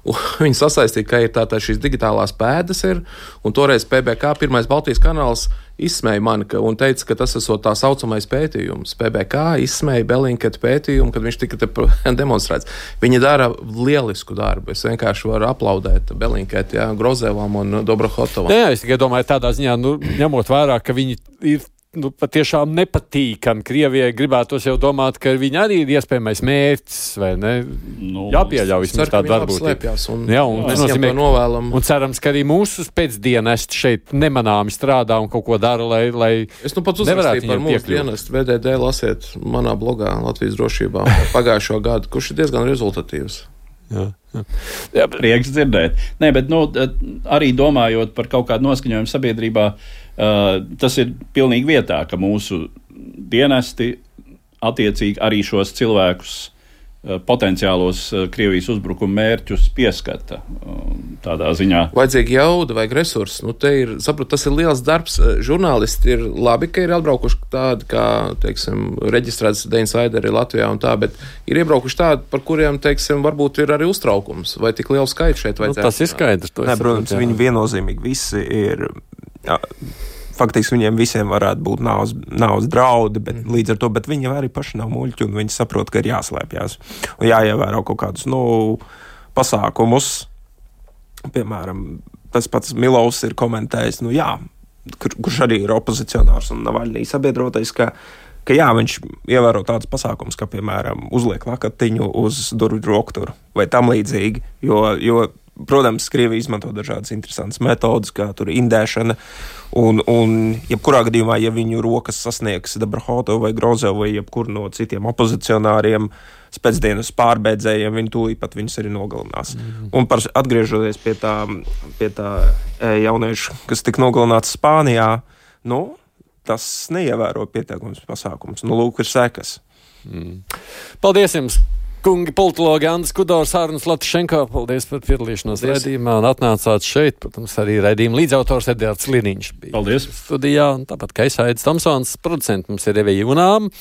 Un viņi sasaistīja, ka ir tātad šīs digitālās pēdas ir, un toreiz P B K, pirmais Baltijas kanāls, izsmēja mani un teica, ka tas esot tā saucamais pētījums. P B K izsmēja Belinketa pētījumu, kad viņš tika te demonstrēts. Viņi dara lielisku darbu. Es vienkārši varu aplaudēt Belinketa, jā, Grozevam un Dabrahotovam. Jā, es tikai domāju tādā ziņā, nu, ņemot vērā, ka viņi ir nu, patiešām nepatīkami. Krievijai gribētos jau domāt, ka viņi arī ir iespējamais mērķis, vai ne? Nu, jāpieļauj vismaz tādu darbūtību. Un, jā, un, mēs viņam to novēlam. Un cerams, ka arī mūsu pēcdienesti šeit nemanāmi strādā un kaut ko dara, lai, lai es nu pats uzrakstīju par mūsu dienestu. V D D lasiet manā blogā Latvijas drošībā pagājušo gadu, kurš ir diezgan rezultatīvs. Jā, jā. Jā, prieks dzirdēt. Nē, bet nu, arī domājot par kaut kādu noskaņojumu sabiedrībā, uh, tas ir pilnīgi vietā, ka mūsu dienesti attiecīgi arī šos cilvēkus, uh, potenciālos uh, Krievijas uzbrukuma mērķus pieskata uh, tādā ziņā. Vajadzīgi jauda, vajag resursi. Nu, te ir, saprot, tas ir liels darbs. Žurnālisti ir labi, ka ir atbraukuši tādi, kā, teiksim, reģistrēts deinsaideri Latvijā un tā, bet ir iebraukuši tādi, par kuriem, teiksim, varbūt ir arī uztraukums, vai tik lielu skaitu šeit vajadzētu. Nu, tas ir skaidrs. Nē, protams, viņi viennozīmīgi visi ir, jā, faktiski viņiem visiem varētu būt nāvas, nāvas draudi, bet mm. līdz ar to, bet viņi arī paši nav muļķi un viņi saprot, ka ir jāslēpjās un jāievēro kaut kādus, nu, pasākumus. Piemēram, tas pats Milovs ir komentējis, nu jā, kur, kurš arī ir opozicionārs un Navaļnī sabiedrotais, ka, ka jā, viņš ievēro tādus pasākumus, kā, piemēram, uzliek lakatiņu uz durvju rokturu vai tam līdzīgi, jo, jo protams, Krievija izmanto dažādas interesantas metodas, kā tur indēšana, un, un jebkurā gadījumā, ja viņu rokas sasniegs Dabrahotovu vai Grozevu vai jebkur no citiem opozicionāriem, pēcdienas pārbēdzējiem, viņi tūlīt pat viņus arī nogalinās. Mm. Un par, atgriežoties pie tā, pie tā jauniešu, kas tika nogalināts Spānijā, nu, tas neievēro pietiekums pasākums. Nu, lūk, ir sekas. Mm. Paldies jums, kungi politologi Andris Kudors, Arnis Latvišenko. Paldies par piedalīšanos raidījumā un atnācāt šeit. Protams, arī raidījuma līdzautors Edvards Liniņš bija. Paldies. Studijā, un tāpat kā Aidis Tomsons, producents mums ir Evija Junām.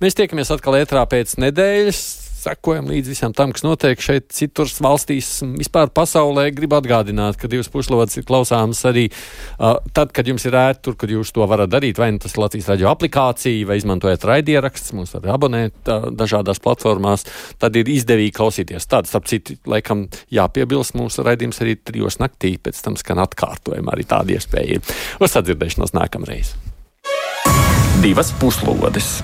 Mēs tiekamies atkal ētrā pēc nedēļas. sekojam līdz visam tam, kas notiek šeit citur valstīs, vispār pasaulē. Gribu atgādināt, ka divas puslodes ir klausāmas arī uh, tad, kad jums ir ērti tur, kad jūs to varat darīt, vai nu tas ir Latvijas radio aplikācija, vai izmantojat raidieraksts, mums var abonēt uh, dažādās platformās, tad ir izdevīgi klausīties. Tāds, starp citu, laikam jāpiebilst, mūsu raidījums arī trijos naktī, pēc tam skan atkārtojumā, arī tāda iespēja ir. Uz sadzirdēšanos nākamreiz. Divas puslodes.